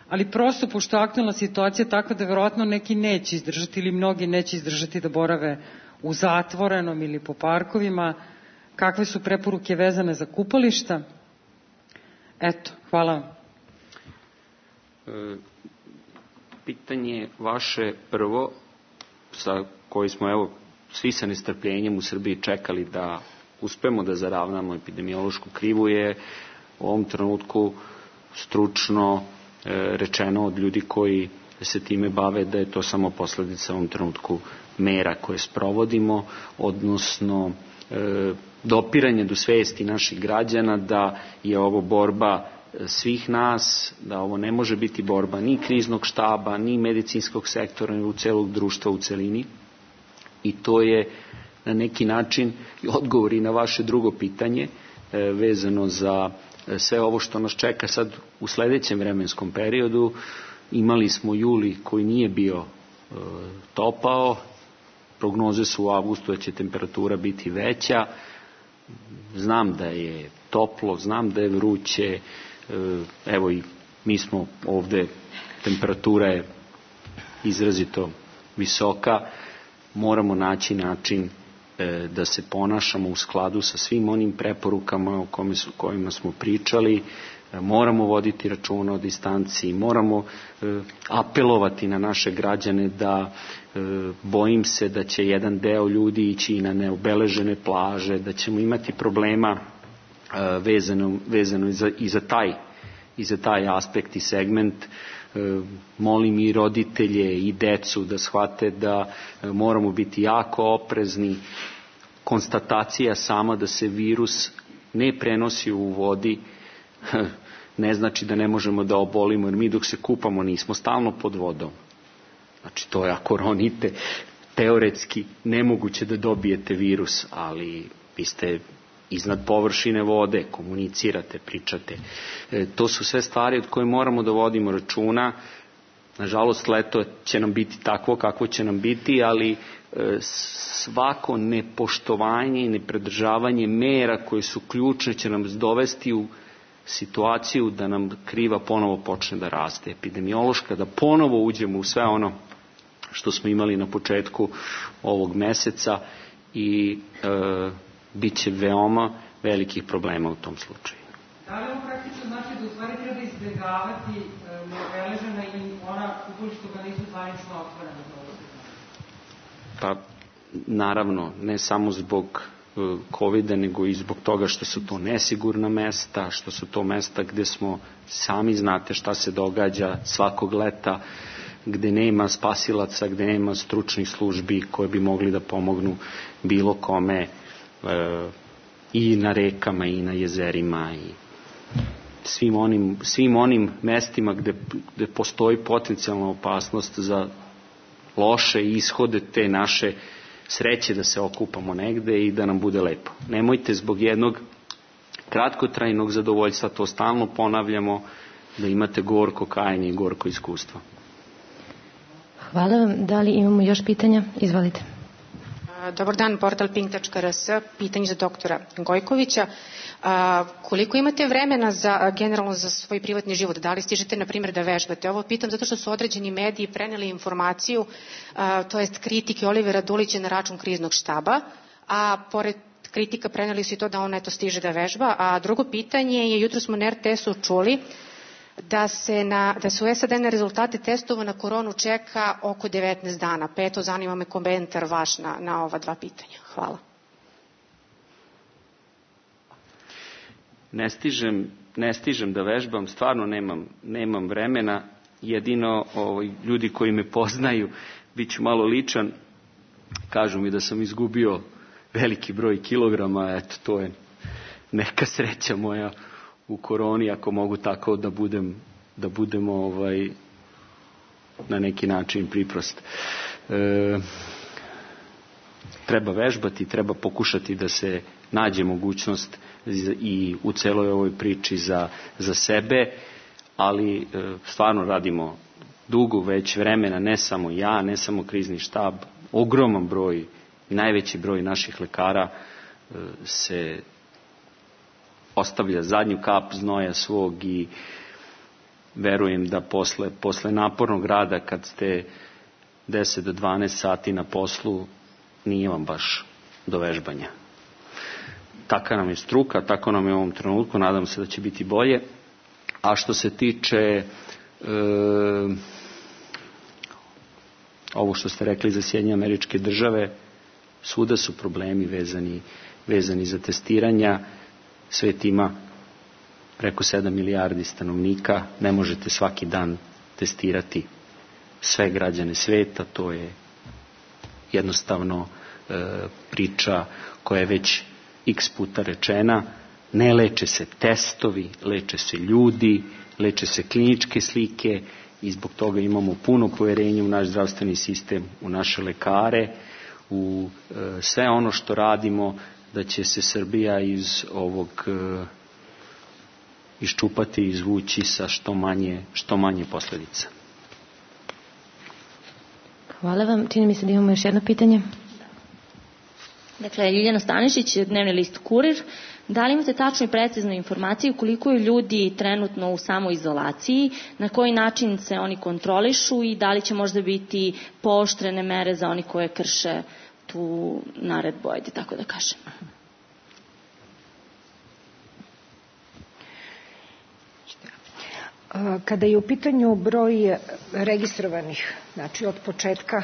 ali prosto, pošto je aktualna situacija takva da verovatno neki neće izdržati ili mnogi neće izdržati da borave u zatvorenom ili po parkovima, kakve su preporuke vezane za kupališta? Eto, hvala vam. pitanje vaše prvo, sa koji smo evo svi sa nestrpljenjem u Srbiji čekali da uspemo da zaravnamo epidemiološku krivu, je u ovom trenutku stručno rečeno od ljudi koji se time bave da je to samo posledica u ovom trenutku mera koje sprovodimo, odnosno dopiranje do svesti naših građana da je ovo borba svih nas, da ovo ne može biti borba ni kriznog štaba, ni medicinskog sektora, ni celog društva u celini. I to je na neki način odgovor i na vaše drugo pitanje vezano za sve ovo što nas čeka sad u sledećem vremenskom periodu. Imali smo juli koji nije bio topao, prognoze su u avgustu da će temperatura biti veća, znam da je toplo, znam da je vruće, evo i mi smo ovde, temperatura je izrazito visoka, moramo naći način da se ponašamo u skladu sa svim onim preporukama o kojima smo pričali, moramo voditi računa o distanciji, moramo apelovati na naše građane da bojim se da će jedan deo ljudi ići i na neobeležene plaže, da ćemo imati problema vezano i za taj aspekt i segment. Molim i roditelje i decu da shvate da moramo biti jako oprezni. Konstatacija sama da se virus ne prenosi u vodi ne znači da ne možemo da obolimo, jer mi dok se kupamo nismo stalno pod vodom. Znači to je ako ronite, teoretski nemoguće da dobijete virus, ali vi ste iznad površine vode, komunicirate, pričate. To su sve stvari od koje moramo da vodimo računa. Nažalost, leto će nam biti takvo kakvo će nam biti, ali svako nepoštovanje i nepredržavanje mera koje su ključne će nam dovesti u situaciju da nam kriva ponovo počne da raste. Epidemiološka, da ponovo uđemo u sve ono što smo imali na početku ovog meseca i bit će veoma velikih problema u tom slučaju. Da li ovo praktično znači da u stvari treba izbjegavati neobeležena i ona kupulišta koja nisu zvanično otvorena? Pa, naravno, ne samo zbog COVID-a, nego i zbog toga što su to nesigurna mesta, što su to mesta gde smo, sami znate šta se događa svakog leta, gde nema spasilaca, gde nema stručnih službi koje bi mogli da pomognu bilo kome i na rekama i na jezerima i svim onim mestima gde postoji potencijalna opasnost za loše ishode te naše sreće da se okupamo negde i da nam bude lepo. Nemojte zbog jednog kratkotrajnog zadovoljstva, to stalno ponavljamo, da imate gorko kajanje i gorko iskustvo. Hvala vam. Da li imamo još pitanja? Izvolite. Dobar dan, portal pink.rs, pitanje za doktora Gojkovića. Koliko imate vremena generalno za svoj privatni život? Da li stižete, na primjer, da vežbate? Ovo pitam zato što su određeni mediji preneli informaciju, to jest kritike Olivera Dulića na račun kriznog štaba, a pored kritika preneli su i to da on eto stiže da vežba. A drugo pitanje je, jutro smo na RTS-u čuli da se u SAD na rezultate testova na koronu čeka oko 19 dana. Pa eto, zanima me komentar vaš na ova dva pitanja. Hvala. Ne stižem da vežbam, stvarno nemam vremena. Jedino ljudi koji me poznaju, bit ću malo ličan, kažu mi da sam izgubio veliki broj kilograma, eto, to je neka sreća moja u koroni, ako mogu tako da budem na neki način priprost. Treba vežbati, treba pokušati da se nađe mogućnost i u celoj ovoj priči za sebe, ali stvarno radimo dugo već vremena, ne samo ja, ne samo krizni štab, ogroman broj, najveći broj naših lekara se ostavlja zadnju kap znoja svog i verujem da posle napornog rada kad ste 10 do 12 sati na poslu nije vam baš do vežbanja. Taka nam je struka, tako nam je u ovom trenutku, nadam se da će biti bolje. A što se tiče ovo što ste rekli za Sjedinjene Američke Države, svuda su problemi vezani za testiranja. Svet ima preko 7 milijardi stanovnika, ne možete svaki dan testirati sve građane sveta, to je jednostavno priča koja je već x puta rečena. Ne leče se testovi, leče se ljudi, leče se kliničke slike i zbog toga imamo puno poverenja u naš zdravstveni sistem, u naše lekare, u sve ono što radimo, da će se Srbija iz ovog iščupati i izvući sa što manje posledica. Hvala vam. Čini mi se da imamo još jedno pitanje. Dakle, Ljiljana Stanišić, dnevni list Kurir. Da li imate tačnu i preciznu informaciju koliko je ljudi trenutno u samoizolaciji, na koji način se oni kontrolišu i da li će možda biti pooštrene mere za oni koje krše tu naredbu, ajde tako da kažem? Kada je u pitanju broj registrovanih, znači od početka,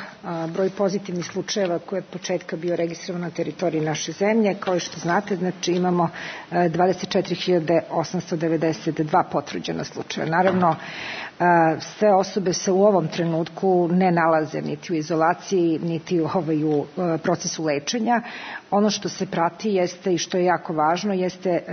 broj pozitivnih slučajeva koji je od početka bio registrovan na teritoriji naše zemlje, kao što znate, znači imamo 24.892 potvrđena slučaja. Naravno, sve osobe se u ovom trenutku ne nalaze niti u izolaciji, niti u procesu lečenja. Ono što se prati jeste i što je jako važno jeste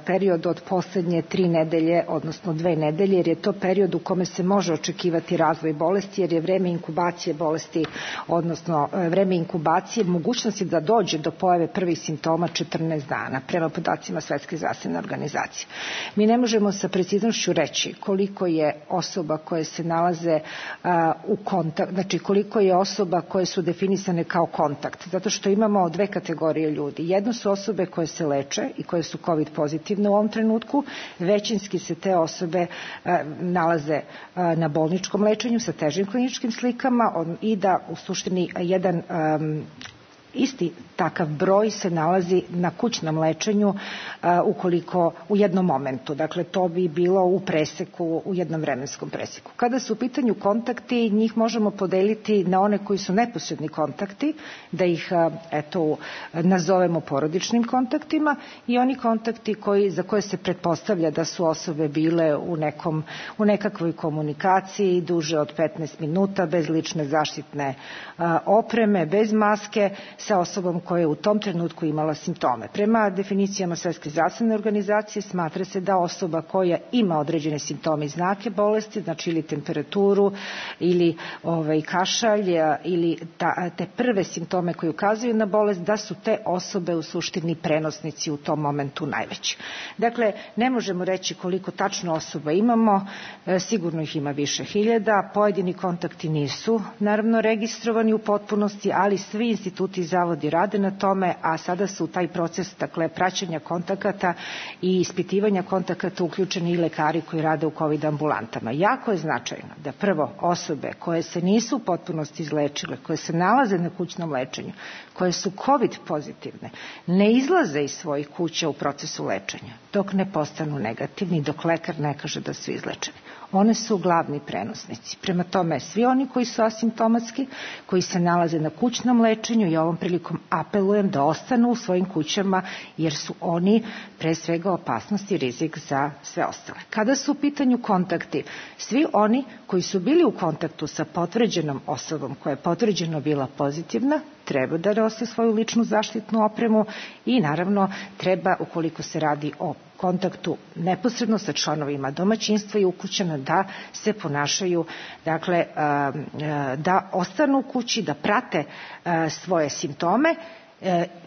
period od poslednje 3 nedelje, odnosno 2 nedelje, jer je to period u kome se može očekivati razvoj bolesti, jer je vreme inkubacije bolesti, odnosno vreme inkubacije, mogućnosti da dođe do pojave prvih simptoma 14 dana, prema podacima Svetske zdravstvene organizacije. Mi ne možemo sa preciznošću reći koliko je osoba koje se nalaze u kontakt, znači koliko je osoba koje su definisane kao kontakt, zato što imamo 2 kategorije ljudi. Jedno su osobe koje se leče i koje su COVID pozitivne u ovom trenutku, većinski se te osobe nalaze na bolničkom lečenju sa težim kliničkim slikama i da u suštini jedan isti takav broj se nalazi na kućnom lečenju ukoliko u jednom momentu. Dakle, to bi bilo u preseku, u jednom vremenskom preseku. Kada su u pitanju kontakti, njih možemo podeliti na one koji su neposredni kontakti, da ih nazovemo porodičnim kontaktima, i oni kontakti za koje se pretpostavlja da su osobe bile u nekakvoj komunikaciji duže od 15 minuta, bez lične zaštitne opreme, bez maske, sa osobom koja je u tom trenutku imala simptome. Prema definicijama Svetske zdravstvene organizacije smatra se da osoba koja ima određene simptome i znake bolesti, znači ili temperaturu ili kašalj ili te prve simptome koji ukazuju na bolest, da su te osobe u suštini prenosnici u tom momentu najveći. Dakle, ne možemo reći koliko tačno osoba imamo, sigurno ih ima više hiljada, pojedini kontakti nisu naravno registrovani u potpunosti, ali svi instituti i zavodi rade na tome, a sada su u taj proces, dakle, praćenja kontakata i ispitivanja kontakata uključeni i lekari koji rade u COVID ambulantama. Jako je značajno da prvo osobe koje se nisu u potpunosti izlečile, koje se nalaze na kućnom lečenju, koje su COVID pozitivne, ne izlaze iz svojih kuća u procesu lečenja dok ne postanu negativni, dok lekar ne kaže da su izlečeni. One su glavni prenosnici. Prema tome, svi oni koji su asimptomatski, koji se nalaze na kućnom lečenju, i ovom prilikom apelujem da ostanu u svojim kućama, jer su oni pre svega opasnost i rizik za sve ostale. Kada su u pitanju kontakti, svi oni koji su bili u kontaktu sa potvrđenom osobom koja je potvrđeno bila pozitivna, treba da nose svoju ličnu zaštitnu opremu i naravno treba, ukoliko se radi o kontaktu neposredno sa članovima domaćinstva i ukućana, da se ponašaju, dakle, da ostanu u kući, da prate svoje simptome.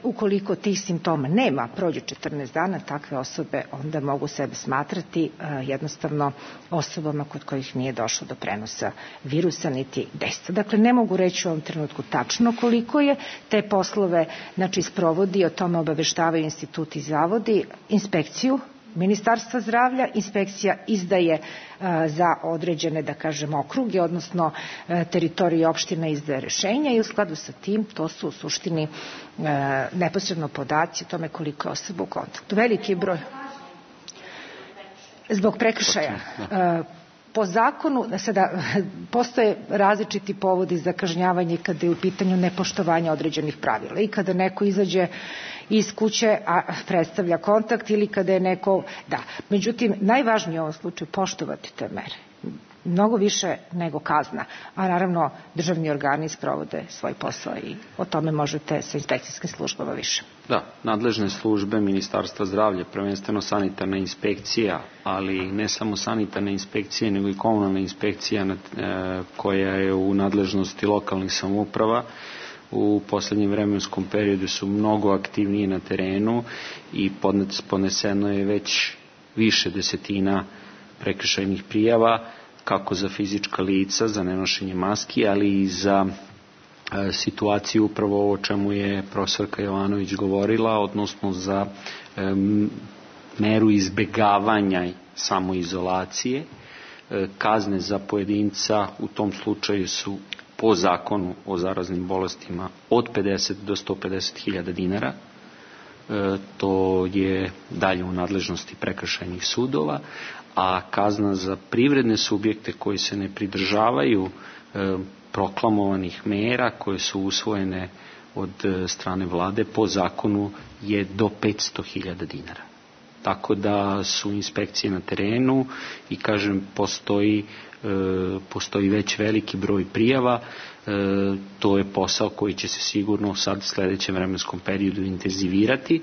Ukoliko tih simptoma nema, prođe 14 dana, takve osobe onda mogu sebe smatrati jednostavno osobama kod kojih nije došlo do prenosa virusa niti dejstva. Dakle, ne mogu reći u ovom trenutku tačno koliko je. Te poslove, znači, sprovodi, o tome obaveštavaju instituti i zavodi, inspekciju Ministarstva zdravlja. Inspekcija izdaje za određene, da kažem, okruge, odnosno teritorije opština izdaje rešenja i u skladu sa tim to su u suštini neposredno podaci o tome koliko je osoba u kontaktu. Veliki broj zbog prekršaja. po zakonu, sada postoje različiti povodi za kažnjavanje kada je u pitanju nepoštovanje određenih pravila i kada neko izađe iz kuće, a predstavlja kontakt ili kada je neko, Međutim, najvažnije u ovom slučaju poštovati te mere. Mnogo više nego kazna, a naravno državni organi sprovode svoj posao i o tome možete sa inspekcijskim službama više. Da, nadležne službe Ministarstva zdravlja, prvenstveno sanitarna inspekcija, ali ne samo sanitarna inspekcija, nego i komunalna inspekcija koja je u nadležnosti lokalnih samouprava, u poslednjem vremenskom periodu su mnogo aktivnije na terenu i podneseno je već više desetina prekršajnih prijava, kako za fizička lica, za nenošenje maski, ali i za situaciju upravo o čemu je profesorka Jovanović govorila, odnosno za meru izbegavanja samoizolacije. Kazne za pojedinca u tom slučaju su po zakonu o zaraznim bolestima od 50 do 150.000 dinara. To je dalje u nadležnosti prekršajnih sudova, a kazna za privredne subjekte koji se ne pridržavaju proklamovanih mera koje su usvojene od strane vlade po zakonu je do 500.000 dinara. Tako da su inspekcije na terenu i kažem postoji već veliki broj prijava. To je posao koji će se sigurno sad u sledećem vremenskom periodu intenzivirati,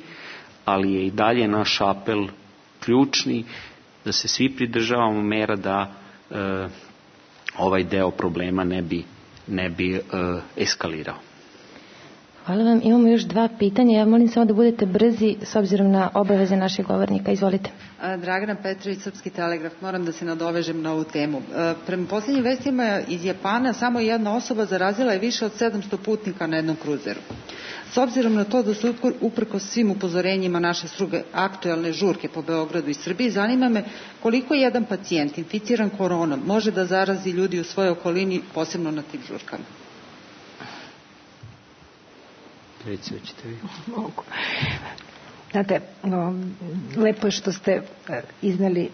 ali je i dalje naš apel ključni da se svi pridržavamo mera da ovaj deo problema ne bi eskalirao. Hvala vam. Imamo još 2 pitanja. Ja molim samo da budete brzi s obzirom na obaveze naših govornika. Izvolite. Dragana Petrović, Srpski telegraf. Moram da se nadovežem na ovu temu. Prema posljednjim vestima iz Japana samo jedna osoba zarazila je više od 700 putnika na jednom kruzeru. S obzirom na to da su uprkos svim upozorenjima naše struge aktuelne žurke po Beogradu i Srbiji, zanima me koliko jedan pacijent inficiran koronom može da zarazi ljudi u svojoj okolini, posebno na tim žurkama. Mogu. Znate, lepo je što ste izneli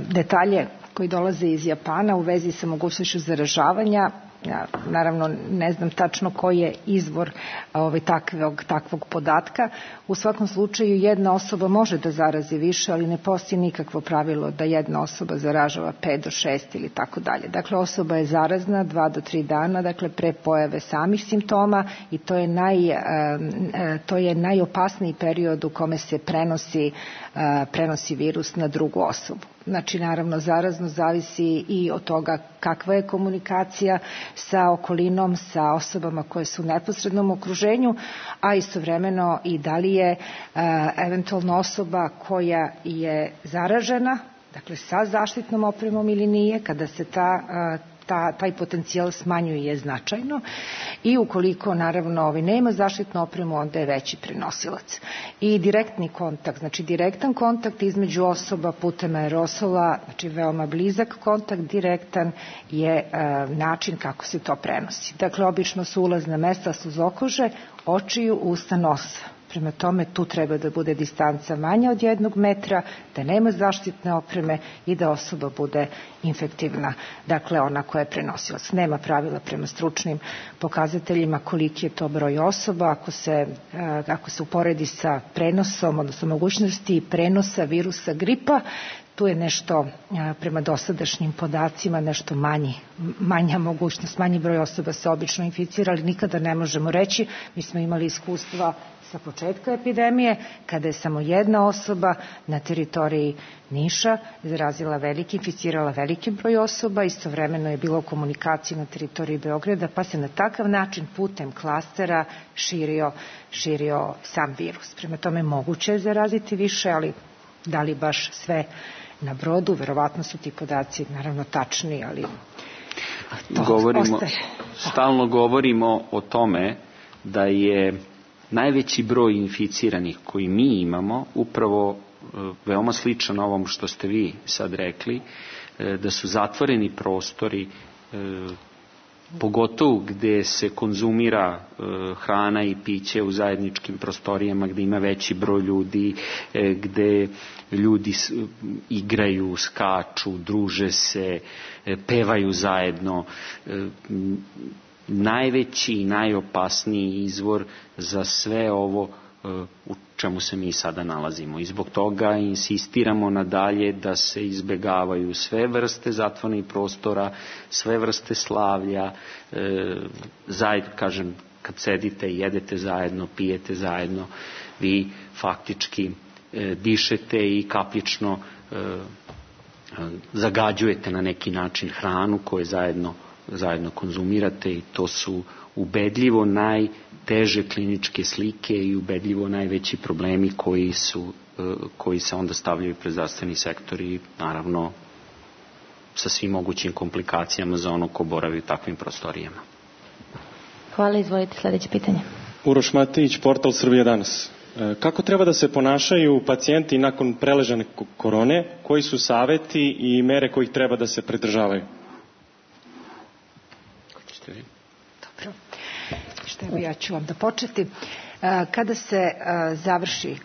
detalje koji dolaze iz Japana u vezi sa mogućnošću zaražavanja. Ja, naravno, ne znam tačno koji je izvor takvog podatka. U svakom slučaju, jedna osoba može da zarazi više, ali ne postoji nikakvo pravilo da jedna osoba zaražava 5 do 6 ili tako dalje. Dakle, osoba je zarazna 2 do 3 dana, dakle, pre pojave samih simptoma i to je najopasniji period u kome se prenosi virus na drugu osobu. Znači, naravno, zaraznost zavisi i od toga kakva je komunikacija sa okolinom, sa osobama koje su u neposrednom okruženju, a istovremeno i da li je eventualno osoba koja je zaražena, dakle sa zaštitnom opremom ili nije, kada se taj potencijal smanjuje značajno i ukoliko naravno nema zaštitnu opremu, onda je veći prenosilac. I direktni kontakt, znači direktan kontakt između osoba putem aerosola, znači veoma blizak kontakt, direktan je način kako se to prenosi. Dakle, obično su ulazna mesta suzokože, očiju, usta, nosa. Prema tome, tu treba da bude distanca manja od 1 metra, da nema zaštitne opreme i da osoba bude infektivna, dakle ona koja je prenosilac. Nema pravila prema stručnim pokazateljima koliki je to broj osoba. Ako se uporedi sa prenosom, odnosno mogućnosti prenosa virusa gripa, tu je nešto, prema dosadašnjim podacima, nešto manja mogućnost, manji broj osoba se obično inficira, ali nikada ne možemo reći. Mi smo imali iskustva sa početka epidemije, kada je samo jedna osoba na teritoriji Niša inficirala veliki broj osoba, istovremeno je bilo komunikacije na teritoriji Beograda, pa se na takav način putem klastera širio sam virus. Prema tome, moguće je zaraziti više, ali da li baš sve na brodu, verovatno su ti podaci naravno tačni, ali stalno govorimo o tome da je najveći broj inficiranih koji mi imamo upravo veoma sličan ovom što ste vi sad rekli, da su zatvoreni prostori pogotovo gde se konzumira hrana i piće u zajedničkim prostorijama, gde ima veći broj ljudi, gde ljudi igraju, skaču, druže se, pevaju zajedno. Najveći i najopasniji izvor za sve ovo u čemu se mi sada nalazimo. I zbog toga insistiramo nadalje da se izbegavaju sve vrste zatvorenih prostora, sve vrste slavlja, zajedno, kažem, kad sedite i jedete zajedno, pijete zajedno, vi faktički dišete i kapljično zagađujete na neki način hranu koju zajedno konzumirate i to su ubedljivo najteže kliničke slike i ubedljivo najveći problemi koji se onda stavljaju pred zdravstveni sektor i naravno sa svim mogućim komplikacijama za ono ko boravi u takvim prostorijama. Hvala, izvolite sledeće pitanje. Uroš Matić, portal Srbija danas. Kako treba da se ponašaju pacijenti nakon preležane korone? Koji su saveti i mere kojih treba da se pridržavaju? Dobro. Ja ću vam da početi. Kada se završi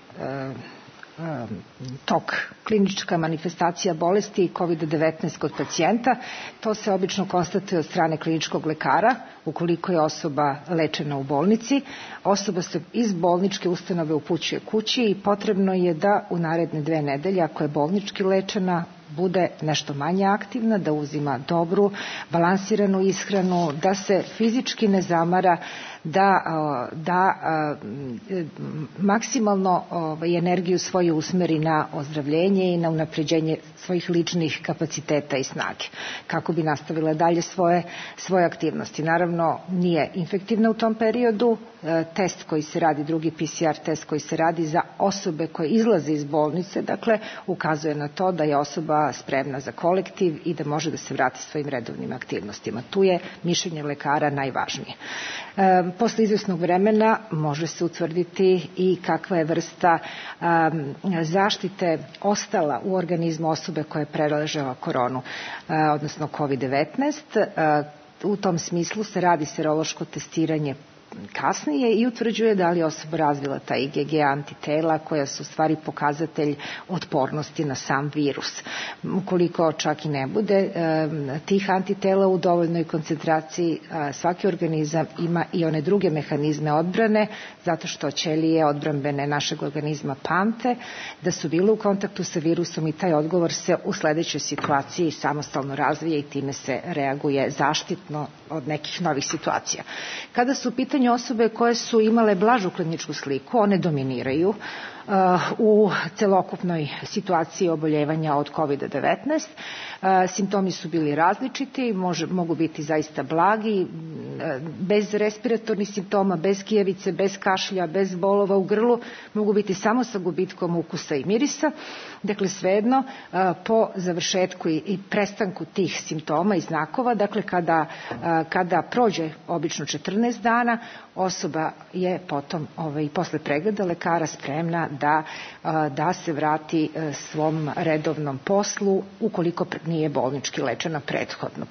tok, klinička manifestacija bolesti COVID-19 kod pacijenta, to se obično konstatuje od strane kliničkog lekara, ukoliko je osoba lečena u bolnici. Osoba se iz bolničke ustanove upućuje kući i potrebno je da u naredne 2 nedelje, ako je bolnički lečena, bude nešto manje aktivna, da uzima dobru, balansiranu ishranu, da se fizički ne zamara, da maksimalno energiju svoju usmeri na ozdravljenje i na unapređenje svojih ličnih kapaciteta i snage, kako bi nastavila dalje svoje aktivnosti. Naravno, nije infektivna u tom periodu. Test koji se radi, drugi PCR test koji se radi za osobe koje izlaze iz bolnice, dakle, ukazuje na to da je osoba spremna za kolektiv i da može da se vrati svojim redovnim aktivnostima. Tu je mišljenje lekara najvažnije. Posle izvesnog vremena može se utvrditi i kakva je vrsta zaštite ostala u organizmu osobe koja je preležala koronu, odnosno COVID-19. U tom smislu se radi serološko testiranje kasnije i utvrđuje da li je osoba razvila ta IgG antitela koja su u stvari pokazatelj otpornosti na sam virus. Ukoliko čak i ne bude tih antitela u dovoljnoj koncentraciji, svaki organizam ima i one druge mehanizme odbrane, zato što ćelije odbrambene našeg organizma pamte da su bile u kontaktu sa virusom i taj odgovor se u sledećoj situaciji samostalno razvije i time se reaguje zaštitno od nekih novih situacija. Kada su u pitanju osobe koje su imale blažu kliničku sliku, one dominiraju u celokupnoj situaciji oboljevanja od COVID-19. Simptomi su bili različiti, mogu biti zaista blagi, bez respiratornih simptoma, bez kijevice, bez kašlja, bez bolova u grlu, mogu biti samo sa gubitkom ukusa i mirisa. Dakle, svejedno, po završetku i prestanku tih simptoma i znakova, dakle, kada prođe obično 14 dana, osoba je potom posle pregleda lekara spremna da se vrati svom redovnom poslu ukoliko nije bolnički lečena prethodno.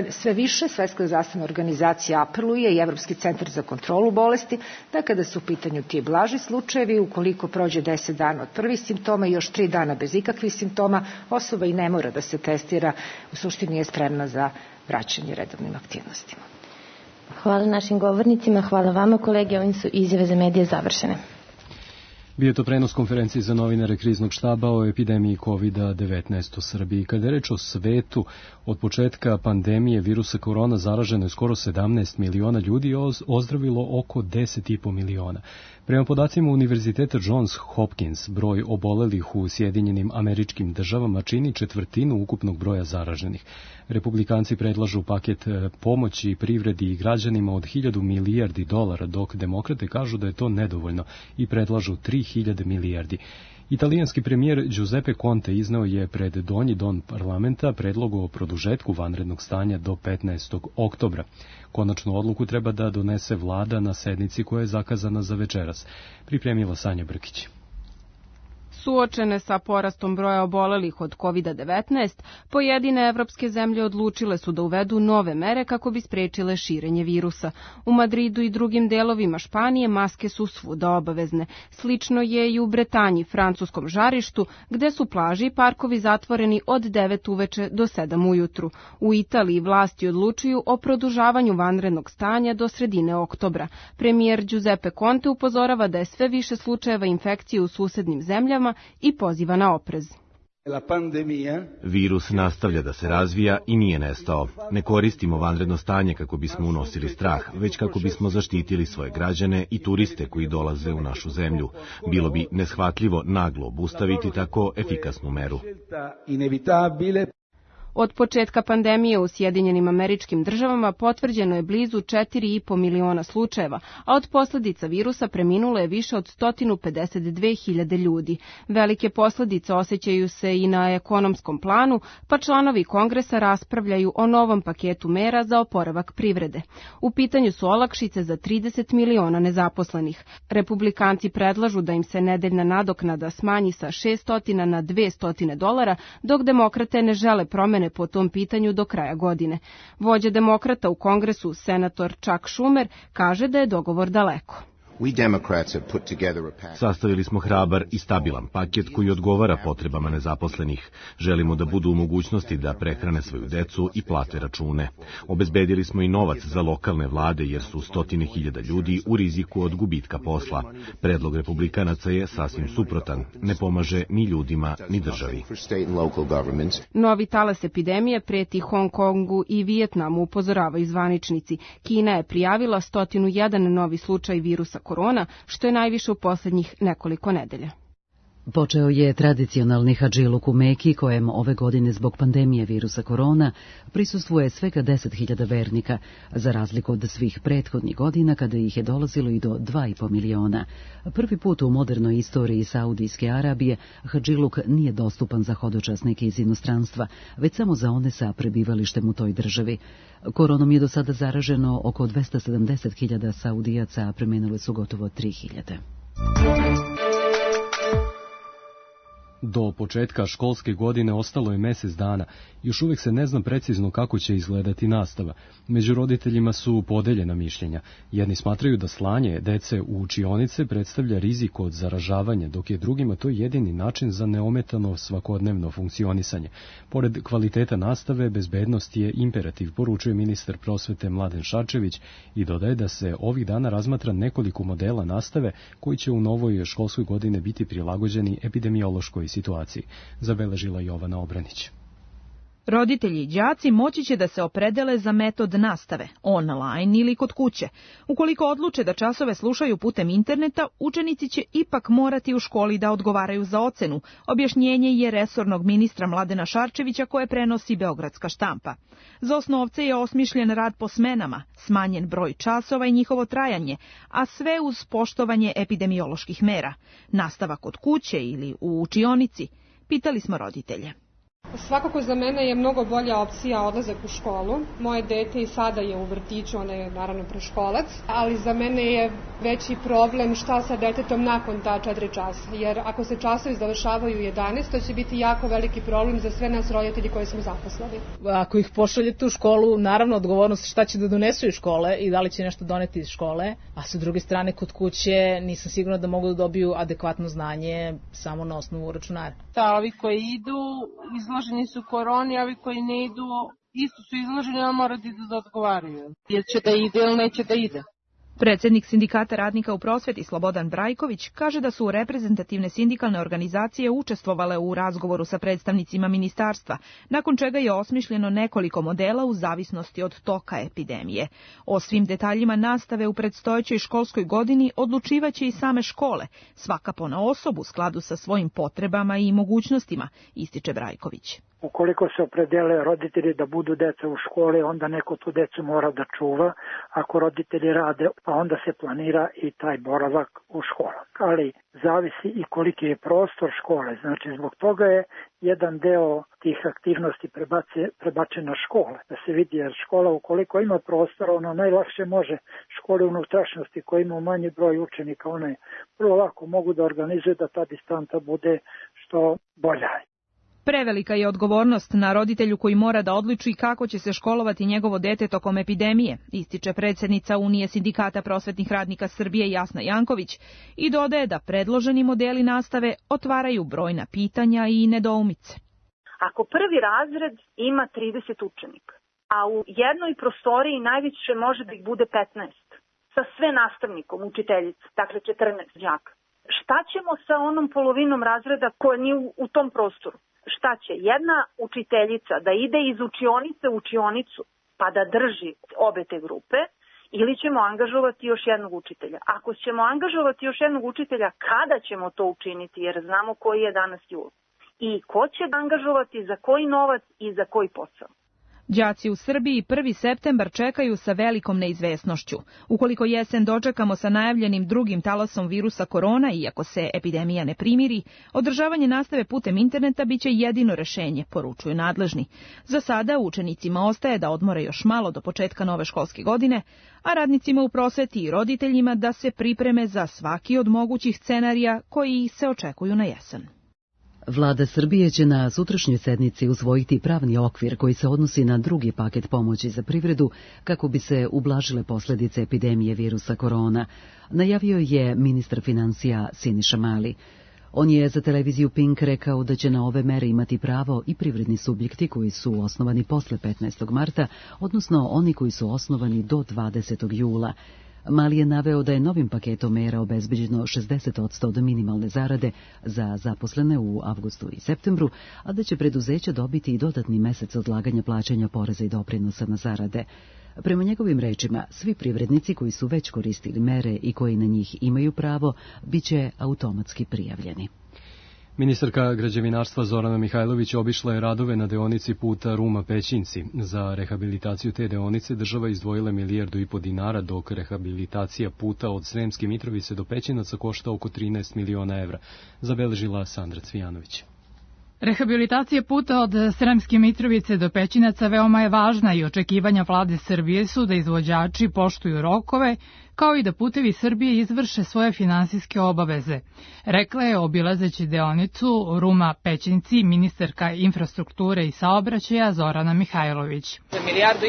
Sve više Svetska zdravstvena organizacija apeluje i Evropski centar za kontrolu bolesti da kada su u pitanju ti blaži slučajevi, ukoliko prođe 10 dana od prvih simptoma i još 3 dana bez ikakvih simptoma, osoba i ne mora da se testira, u suštini je spremna za vraćanje redovnim aktivnostima. Hvala našim govornicima, hvala vama kolege, ovim su izjave za medije završene. Bio je to prenos konferencije za novinare Kriznog štaba o epidemiji COVID-19 u Srbiji. Kada je reč o svetu, od početka pandemije virusa korona zaraženo je skoro 17 miliona ljudi i ozdravilo oko 10,5 miliona. Prema podacima Univerziteta Johns Hopkins, broj obolelih u Sjedinjenim Američkim Državama čini 1/4 ukupnog broja zaraženih. Republikanci predlažu paket pomoći privredi i građanima od 1.000 milijardi dolara, dok demokrate kažu da je to nedovoljno i predlažu 3.000 milijardi. Italijanski premijer Giuseppe Conte izneo je pred Donji dom parlamenta predlog o produžetku vanrednog stanja do 15. oktobra. Konačnu odluku treba da donese vlada na sednici koja je zakazana za večeras. Pripremila Sanja Brkić. Suočene sa porastom broja obolelih od COVID-19, pojedine evropske zemlje odlučile su da uvedu nove mere kako bi sprečile širenje virusa. U Madridu i drugim delovima Španije maske su svuda obavezne. Slično je i u Bretanji, francuskom žarištu, gde su plaže i parkovi zatvoreni od 9 uveče do 7 ujutru. U Italiji vlasti odlučuju o produžavanju vanrednog stanja do sredine oktobra. Premijer Giuseppe Conte upozorava da je sve više slučajeva infekcije u susednim zemljama i poziva na oprez. Virus nastavlja da se razvija i nije nestao. Ne koristimo vanredno stanje kako bismo unosili strah, već kako bismo zaštitili svoje građane i turiste koji dolaze u našu zemlju. Bilo bi neshvatljivo naglo obustaviti tako efikasnu meru. Od početka pandemije u Sjedinjenim Američkim Državama potvrđeno je blizu 4,5 miliona slučajeva, a od posljedica virusa preminulo je više od 152.000 ljudi. Velike posljedice osjećaju se i na ekonomskom planu, pa članovi Kongresa raspravljaju o novom paketu mera za oporavak privrede. U pitanju su olakšice za 30 miliona nezaposlenih. Republikanci predlažu da im se nedeljna nadoknada smanji sa $600 na $200, dok demokrate ne žele promene po tom pitanju do kraja godine. Vođa demokrata u Kongresu, senator Chuck Schumer, kaže da je dogovor daleko. Sastavili smo hrabar i stabilan paket koji odgovara potrebama nezaposlenih. Želimo da budu u mogućnosti da prehrane svoju decu i plate račune. Obezbedili smo i novac za lokalne vlade jer su 100.000 ljudi u riziku od gubitka posla. Predlog republikanaca je sasvim suprotan. Ne pomaže ni ljudima ni državi. Novi talas epidemije preti Hong Kongu i Vijetnamu, upozoravaju zvaničnici. Kina je prijavila 101 novi slučaj virusa korona, što je najviše u posljednjih nekoliko nedelja. Počeo je tradicionalni hadžiluk u Meki, kojem ove godine zbog pandemije virusa korona prisustvuje svega 10.000 vernika, za razliku od svih prethodnih godina kada ih je dolazilo i do 2,5 miliona. Prvi put u modernoj istoriji Saudijske Arabije hadžiluk nije dostupan za hodočasnike iz inostranstva, već samo za one sa prebivalištem u toj državi. Koronom je do sada zaraženo oko 270.000 Saudijaca, a preminule su gotovo 3.000. Do početka školske godine ostalo je mjesec dana. Još uvijek se ne zna precizno kako će izgledati nastava. Među roditeljima su podeljena mišljenja. Jedni smatraju da slanje dece u učionice predstavlja rizik od zaražavanja, dok je drugima to jedini način za neometano svakodnevno funkcionisanje. Pored kvaliteta nastave, bezbednost je imperativ, poručuje ministar prosvete Mladen Šarčević i dodaje da se ovih dana razmatra nekoliko modela nastave koji će u novoj školskoj godini biti prilagođeni epidemiološkoj situaciji, zabeležila Jovana Obranić. Roditelji i đaci moći će da se opredele za metod nastave, online ili kod kuće. Ukoliko odluče da časove slušaju putem interneta, učenici će ipak morati u školi da odgovaraju za ocenu. Objašnjenje je resornog ministra Mladena Šarčevića koje prenosi Beogradska štampa. Za osnovce je osmišljen rad po smenama, smanjen broj časova i njihovo trajanje, a sve uz poštovanje epidemioloških mera. Nastava kod kuće ili u učionici? Pitali smo roditelje. Svakako za mene je mnogo bolja opcija odlazak u školu. Moje dete i sada je u vrtiću, ona je naravno preškolac, ali za mene je veći problem šta sa detetom nakon ta 4 časa. Jer ako se časovi završavaju u 11, to će biti jako veliki problem za sve nas roditelji koji smo zaposleni. Ako ih pošaljete u školu, naravno odgovornost šta će da donesu iz škole i da li će nešto doneti iz škole, a sa druge strane kod kuće nisam sigurna da mogu da dobiju adekvatno znanje samo na osnovu računara. Ovi koji idu izloženi su koroni, a ovi koji ne idu isto su izloženi, ali moraju da odgovaraju. Ili će da ide ili neće da ide. Predsjednik Sindikata radnika u prosveti Slobodan Brajković kaže da su reprezentativne sindikalne organizacije učestvovale u razgovoru sa predstavnicima ministarstva, nakon čega je osmišljeno nekoliko modela u zavisnosti od toka epidemije. O svim detaljima nastave u predstojećoj školskoj godini odlučivaće i same škole, svaka ponaosob u skladu sa svojim potrebama i mogućnostima, ističe Brajković. Ukoliko se opredele roditelji da budu deca u školi, onda neko tu decu mora da čuva. Ako roditelji rade, pa onda se planira i taj boravak u školu. Ali zavisi i koliki je prostor škole. Znači, zbog toga je jedan deo tih aktivnosti prebačen na škole. Da se vidi, jer škola ukoliko ima prostora, ona najlakše može škole unutrašnjosti koji ima manji broj učenika, one vrlo lako mogu da organizuju da ta distanta bude što bolja. Prevelika je odgovornost na roditelju koji mora da odluči kako će se školovati njegovo dete tokom epidemije, ističe predsjednica Unije sindikata prosvetnih radnika Srbije Jasna Janković i dodaje da predloženi modeli nastave otvaraju brojna pitanja i nedoumice. Ako prvi razred ima 30 učenika, a u jednoj prostoriji najviše može da ih bude 15, sa sve nastavnikom, učiteljicom, dakle 14 đaka, šta ćemo sa onom polovinom razreda koja nije u tom prostoru? Šta će jedna učiteljica da ide iz učionice u učionicu pa da drži obe te grupe ili ćemo angažovati još jednog učitelja? Ako ćemo angažovati još jednog učitelja, kada ćemo to učiniti? Jer znamo koji je danas jul. I ko će angažovati, za koji novac i za koji posao? Đaci u Srbiji 1. septembar čekaju sa velikom neizvesnošću. Ukoliko jesen dočekamo sa najavljenim drugim talasom virusa korona, iako se epidemija ne primiri, održavanje nastave putem interneta biće jedino rešenje, poručuju nadležni. Za sada učenicima ostaje da odmore još malo do početka nove školske godine, a radnicima u prosveti i roditeljima da se pripreme za svaki od mogućih scenarija koji se očekuju na jesen. Vlada Srbije će na sutrašnjoj sednici usvojiti pravni okvir koji se odnosi na drugi paket pomoći za privredu kako bi se ublažile posljedice epidemije virusa korona, najavio je ministar financija Siniša Mali. On je za televiziju Pink rekao da će na ove mere imati pravo i privredni subjekti koji su osnovani posle 15. marta, odnosno oni koji su osnovani do 20. jula. Mali je naveo da je novim paketom mera obezbeđeno 60% od minimalne zarade za zaposlene u avgustu i septembru, a da će preduzeća dobiti i dodatni mesec odlaganja plaćanja poreza i doprinosa na zarade. Prema njegovim rečima, svi privrednici koji su već koristili mere i koji na njih imaju pravo, bit će automatski prijavljeni. Ministarka građevinarstva Zorana Mihajlović obišla je radove na deonici puta Ruma-Pećinci. Za rehabilitaciju te deonice država izdvojila $1,5 milijardu dinara, dok rehabilitacija puta od Sremske Mitrovice do Pećinaca košta oko 13 miliona evra, zabeležila Sandra Cvijanović. Rehabilitacija puta od Sremske Mitrovice do Pećinaca veoma je važna i očekivanja vlade Srbije su da izvođači poštuju rokove, kao i da Putevi Srbije izvrše svoje finansijske obaveze. Rekla je obilazeći deonicu Ruma-Pećinci ministarka infrastrukture i saobraćaja Zorana Mihajlović. $1,5 milijardu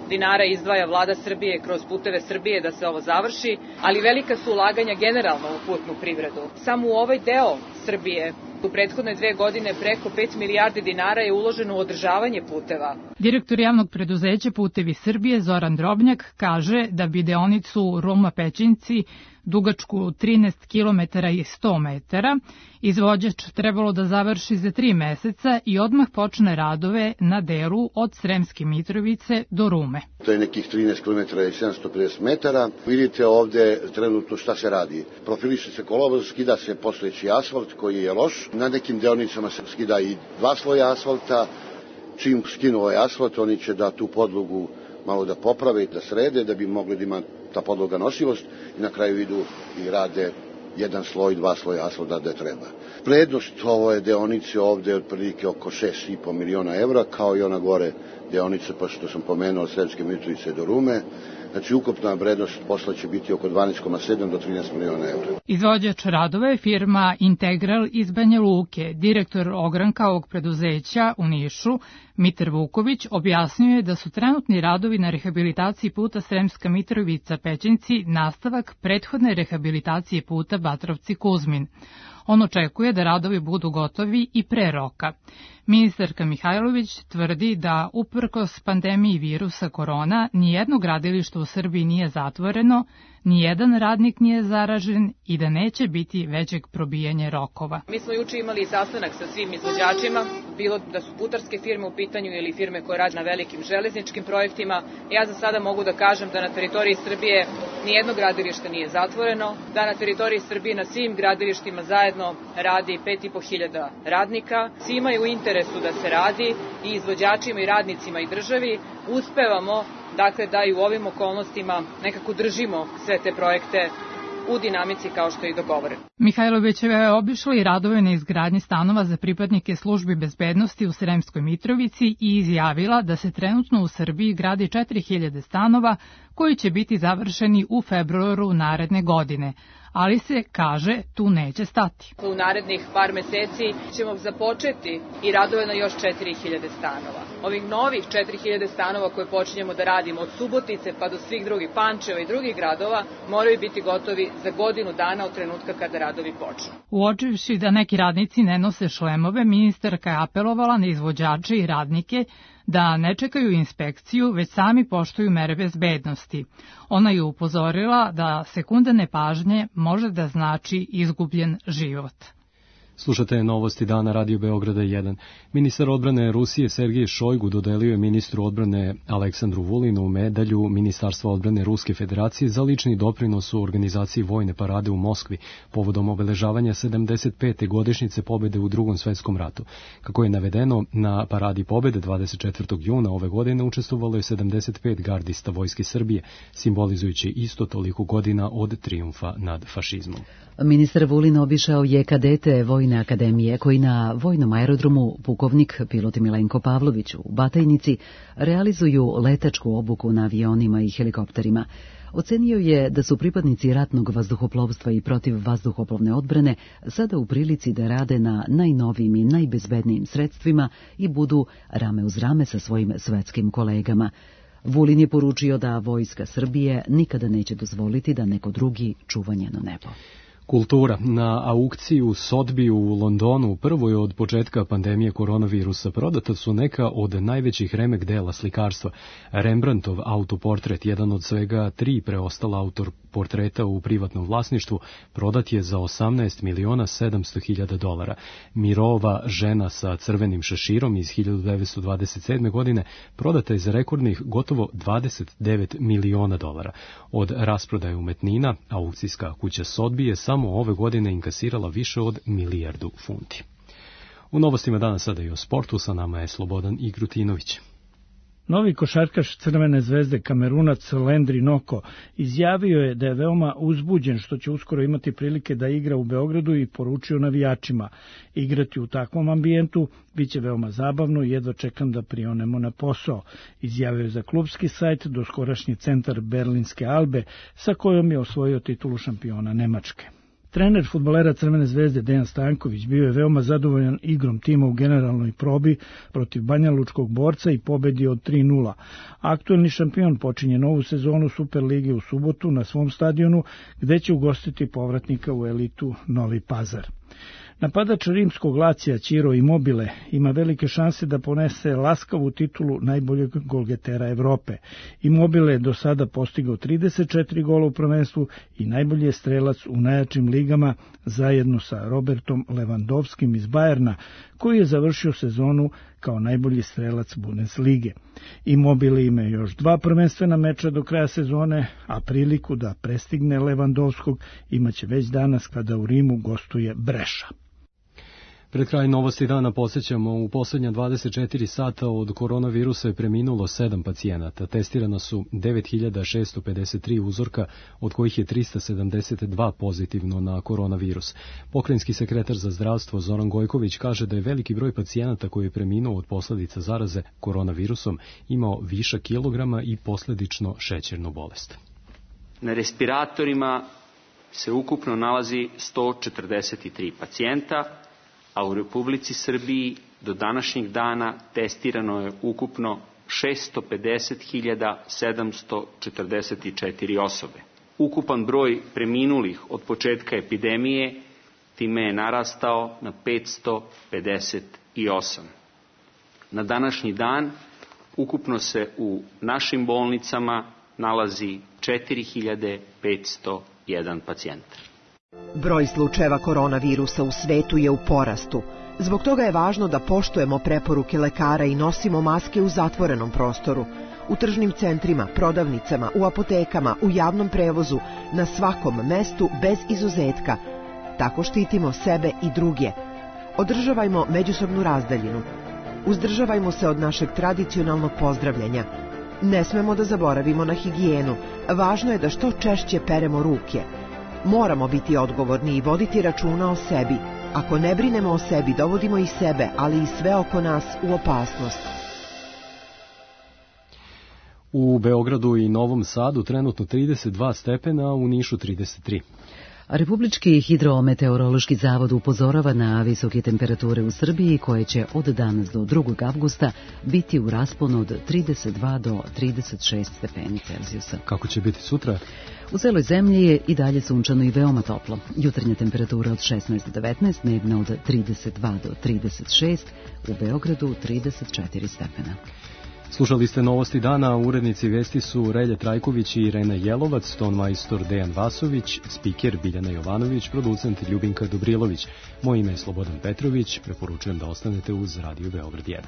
dinara izdvaja vlada Srbije kroz Puteve Srbije da se ovo završi, ali velika su ulaganja generalno u putnu privredu. Samo u ovaj deo Srbije u prethodne 2 godine preko 5 milijardi dinara je uloženo u održavanje puteva. Direktor javnog preduzeća Putevi Srbije Zoran Drobnjak kaže da bi deonicu Ruma-Pećinci dugačku 13 km i 100 metara izvođač trebalo da završi za 3 meseca i odmah počne radove na delu od Sremske Mitrovice do Rume. To je nekih 13 km i 750 metara. Vidite ovde trenutno šta se radi. Profiliše se kolovoz, skida se postojeći asfalt koji je loš. Na nekim deonicama se skida i 2 sloja asfalta. Čim skinu ovaj asfalt, oni će da tu podlogu malo da poprave i da srede, da bi mogli da ima ta podloga nosivost i na kraju idu i rade 1 sloj, 2 sloja asfalta da treba. Vrednost ove deonice ovde je otprilike oko 6,5 miliona evra, kao i ona gore deonica, pa što sam pomenuo, od Sremske Mitrovice do Rume. Znači, ukupna vrednost posla će biti oko 12,7 do 13 miliona evra. Izvođač radova je firma Integral iz Banja Luke. Direktor ogranka ovog preduzeća u Nišu, Mitar Vuković, objasnio je da su trenutni radovi na rehabilitaciji puta Sremska Mitrovica-Pećinci nastavak prethodne rehabilitacije puta Batrovci-Kuzmin. On očekuje da radovi budu gotovi i pre roka. Ministarka Mihajlović tvrdi da uprkos pandemiji virusa korona nijedno gradilište u Srbiji nije zatvoreno, nijedan radnik nije zaražen i da neće biti većeg probijanja rokova. Mi smo juče imali sastanak sa svim izvođačima, bilo da su putarske firme u pitanju ili firme koje rade na velikim železničkim projektima. Ja za sada mogu da kažem da na teritoriji Srbije nijedno gradilište nije zatvoreno, da na teritoriji Srbije na svim gradilištima zajedno zajedno radi 5.500 radnika. Svima je u interesu da se radi, i izvođačima i radnicima i državi. Uspevamo dakle da i u ovim okolnostima nekako držimo sve te projekte u dinamici kao što je i dogovoreno. Mihajlovićeva je obišla i radove na izgradnji stanova za pripadnike službi bezbednosti u Sremskoj Mitrovici i izjavila da se trenutno u Srbiji gradi 4000 stanova koji će biti završeni u februaru naredne godine. Ali se, kaže, tu neće stati. U narednih par meseci ćemo započeti i radove na još 4000 stanova. Ovih novih 4000 stanova koje počinjemo da radimo od Subotice pa do svih drugih Pančeva i drugih gradova moraju biti gotovi za godinu dana od trenutka kada radovi počnu. Uočivši da neki radnici ne nose šlemove, ministarka je apelovala na izvođače i radnike da ne čekaju inspekciju, već sami poštuju mere bezbednosti. Ona je upozorila da sekunda nepažnje može da znači izgubljen život. Slušate novosti dana Radio Beograda 1. Ministar odbrane Rusije Sergej Šojgu dodelio je ministru odbrane Aleksandru Vulinu medalju Ministarstva odbrane Ruske Federacije za lični doprinos u organizaciji vojne parade u Moskvi povodom obeležavanja 75. godišnjice pobede u Drugom svetskom ratu. Kako je navedeno, na paradi pobede 24. juna ove godine učestvovalo je 75 gardista Vojske Srbije, simbolizujući isto toliko godina od trijumfa nad fašizmom. Ministar Vulin obišao je kadete Vojne akademije koji na vojnom aerodromu pukovnik pilot Milenko Pavlović u Batajnici realizuju letačku obuku na avionima i helikopterima. Ocenio je da su pripadnici ratnog vazduhoplovstva i protivvazduhoplovne odbrane sada u prilici da rade na najnovijim i najbezbednijim sredstvima i budu rame uz rame sa svojim svetskim kolegama. Vulin je poručio da Vojska Srbije nikada neće dozvoliti da neko drugi čuva njeno nebo. Kultura. Na aukciji u Sotheby'u u Londonu, prvoj od početka pandemije koronavirusa, prodata su neka od najvećih remek dela slikarstva. Rembrandtov autoportret, jedan od svega 3 preostala autoportreta u privatnom vlasništvu, prodat je za $18.700.000. Mirova žena sa crvenim šeširom iz 1927. godine prodata je za rekordnih gotovo $29 miliona. Od rasprodaje umetnina, aukcijska kuća Sotheby je samo ove godine inkasirala više od 1 milijardu funti. U novostima danas sada i o sportu, sa nama je Slobodan Igrutinović. Novi košarkaš Crvene zvezde Kamerunac Landry Noko izjavio je da je veoma uzbuđen što će uskoro imati prilike da igra u Beogradu i poručio navijačima: igrati u takvom ambijentu biće veoma zabavno i jedva čekam da prionemo na posao, izjavio je za klubski sajt doskorašnji centar berlinske Albe sa kojom je osvojio titulu šampiona Nemačke. Trener fudbalera Crvene zvezde Dejan Stanković bio je veoma zadovoljan igrom tima u generalnoj probi protiv banjalučkog Borca i pobedi od 3:0. Aktuelni šampion počinje novu sezonu Superlige u subotu na svom stadionu, gde će ugostiti povratnika u elitu Novi Pazar. Napadač rimskog Lacija Ciro Immobile ima velike šanse da ponese laskavu titulu najboljeg golgetera Evrope. Immobile je do sada postigao 34 gola u prvenstvu i najbolji je strelac u najjačim ligama zajedno sa Robertom Lewandowskim iz Bajerna, koji je završio sezonu kao najbolji strelac Bundeslige. Immobile ima još 2 prvenstvena meča do kraja sezone, a priliku da prestigne Lewandowskog imaće već danas kada u Rimu gostuje Breša. Pred kraj novosti dana podsjećamo, u poslednja 24 sata od koronavirusa je preminulo 7 pacijenata. Testirana su 9653 uzorka, od kojih je 372 pozitivno na koronavirus. Pokrajinski sekretar za zdravstvo Zoran Gojković kaže da je veliki broj pacijenata koji je preminuo od posledica zaraze koronavirusom imao višak kilograma i posledično šećernu bolest. Na respiratorima se ukupno nalazi 143 pacijenta, a u Republici Srbiji do današnjeg dana testirano je ukupno 650.744 osobe. Ukupan broj preminulih od početka epidemije time je narastao na 558. Na današnji dan ukupno se u našim bolnicama nalazi 4.501 pacijent. Broj slučajeva koronavirusa u svetu je u porastu. Zbog toga je važno da poštujemo preporuke lekara i nosimo maske u zatvorenom prostoru, u tržnim centrima, prodavnicama, u apotekama, u javnom prevozu, na svakom mestu bez izuzetka. Tako štitimo sebe i druge. Održavajmo međusobnu razdaljinu. Uzdržavajmo se od našeg tradicionalnog pozdravljanja. Ne smemo da zaboravimo na higijenu. Važno je da što češće peremo ruke. Moramo biti odgovorni i voditi računa o sebi. Ako ne brinemo o sebi, dovodimo i sebe, ali i sve oko nas u opasnost. U Beogradu i Novom Sadu trenutno 32 stepena, a u Nišu 33. Republički hidrometeorološki zavod upozorava na visoke temperature u Srbiji koje će od danas do 2. avgusta biti u rasponu od 32 do 36 stepeni Celzijusa. Kako će biti sutra? U celoj zemlji je i dalje sunčano i veoma toplo. Jutarnja temperatura od 16 do 19, dnevna od 32 do 36, u Beogradu 34 stepena. Slušali ste novosti dana, urednici vesti su Relje Trajković i Irena Jelovac, ton majstor Dejan Vasović, spiker Biljana Jovanović, producent Ljubinka Dobrilović. Moje ime je Slobodan Petrović, preporučujem da ostanete uz Radio Beograd 1.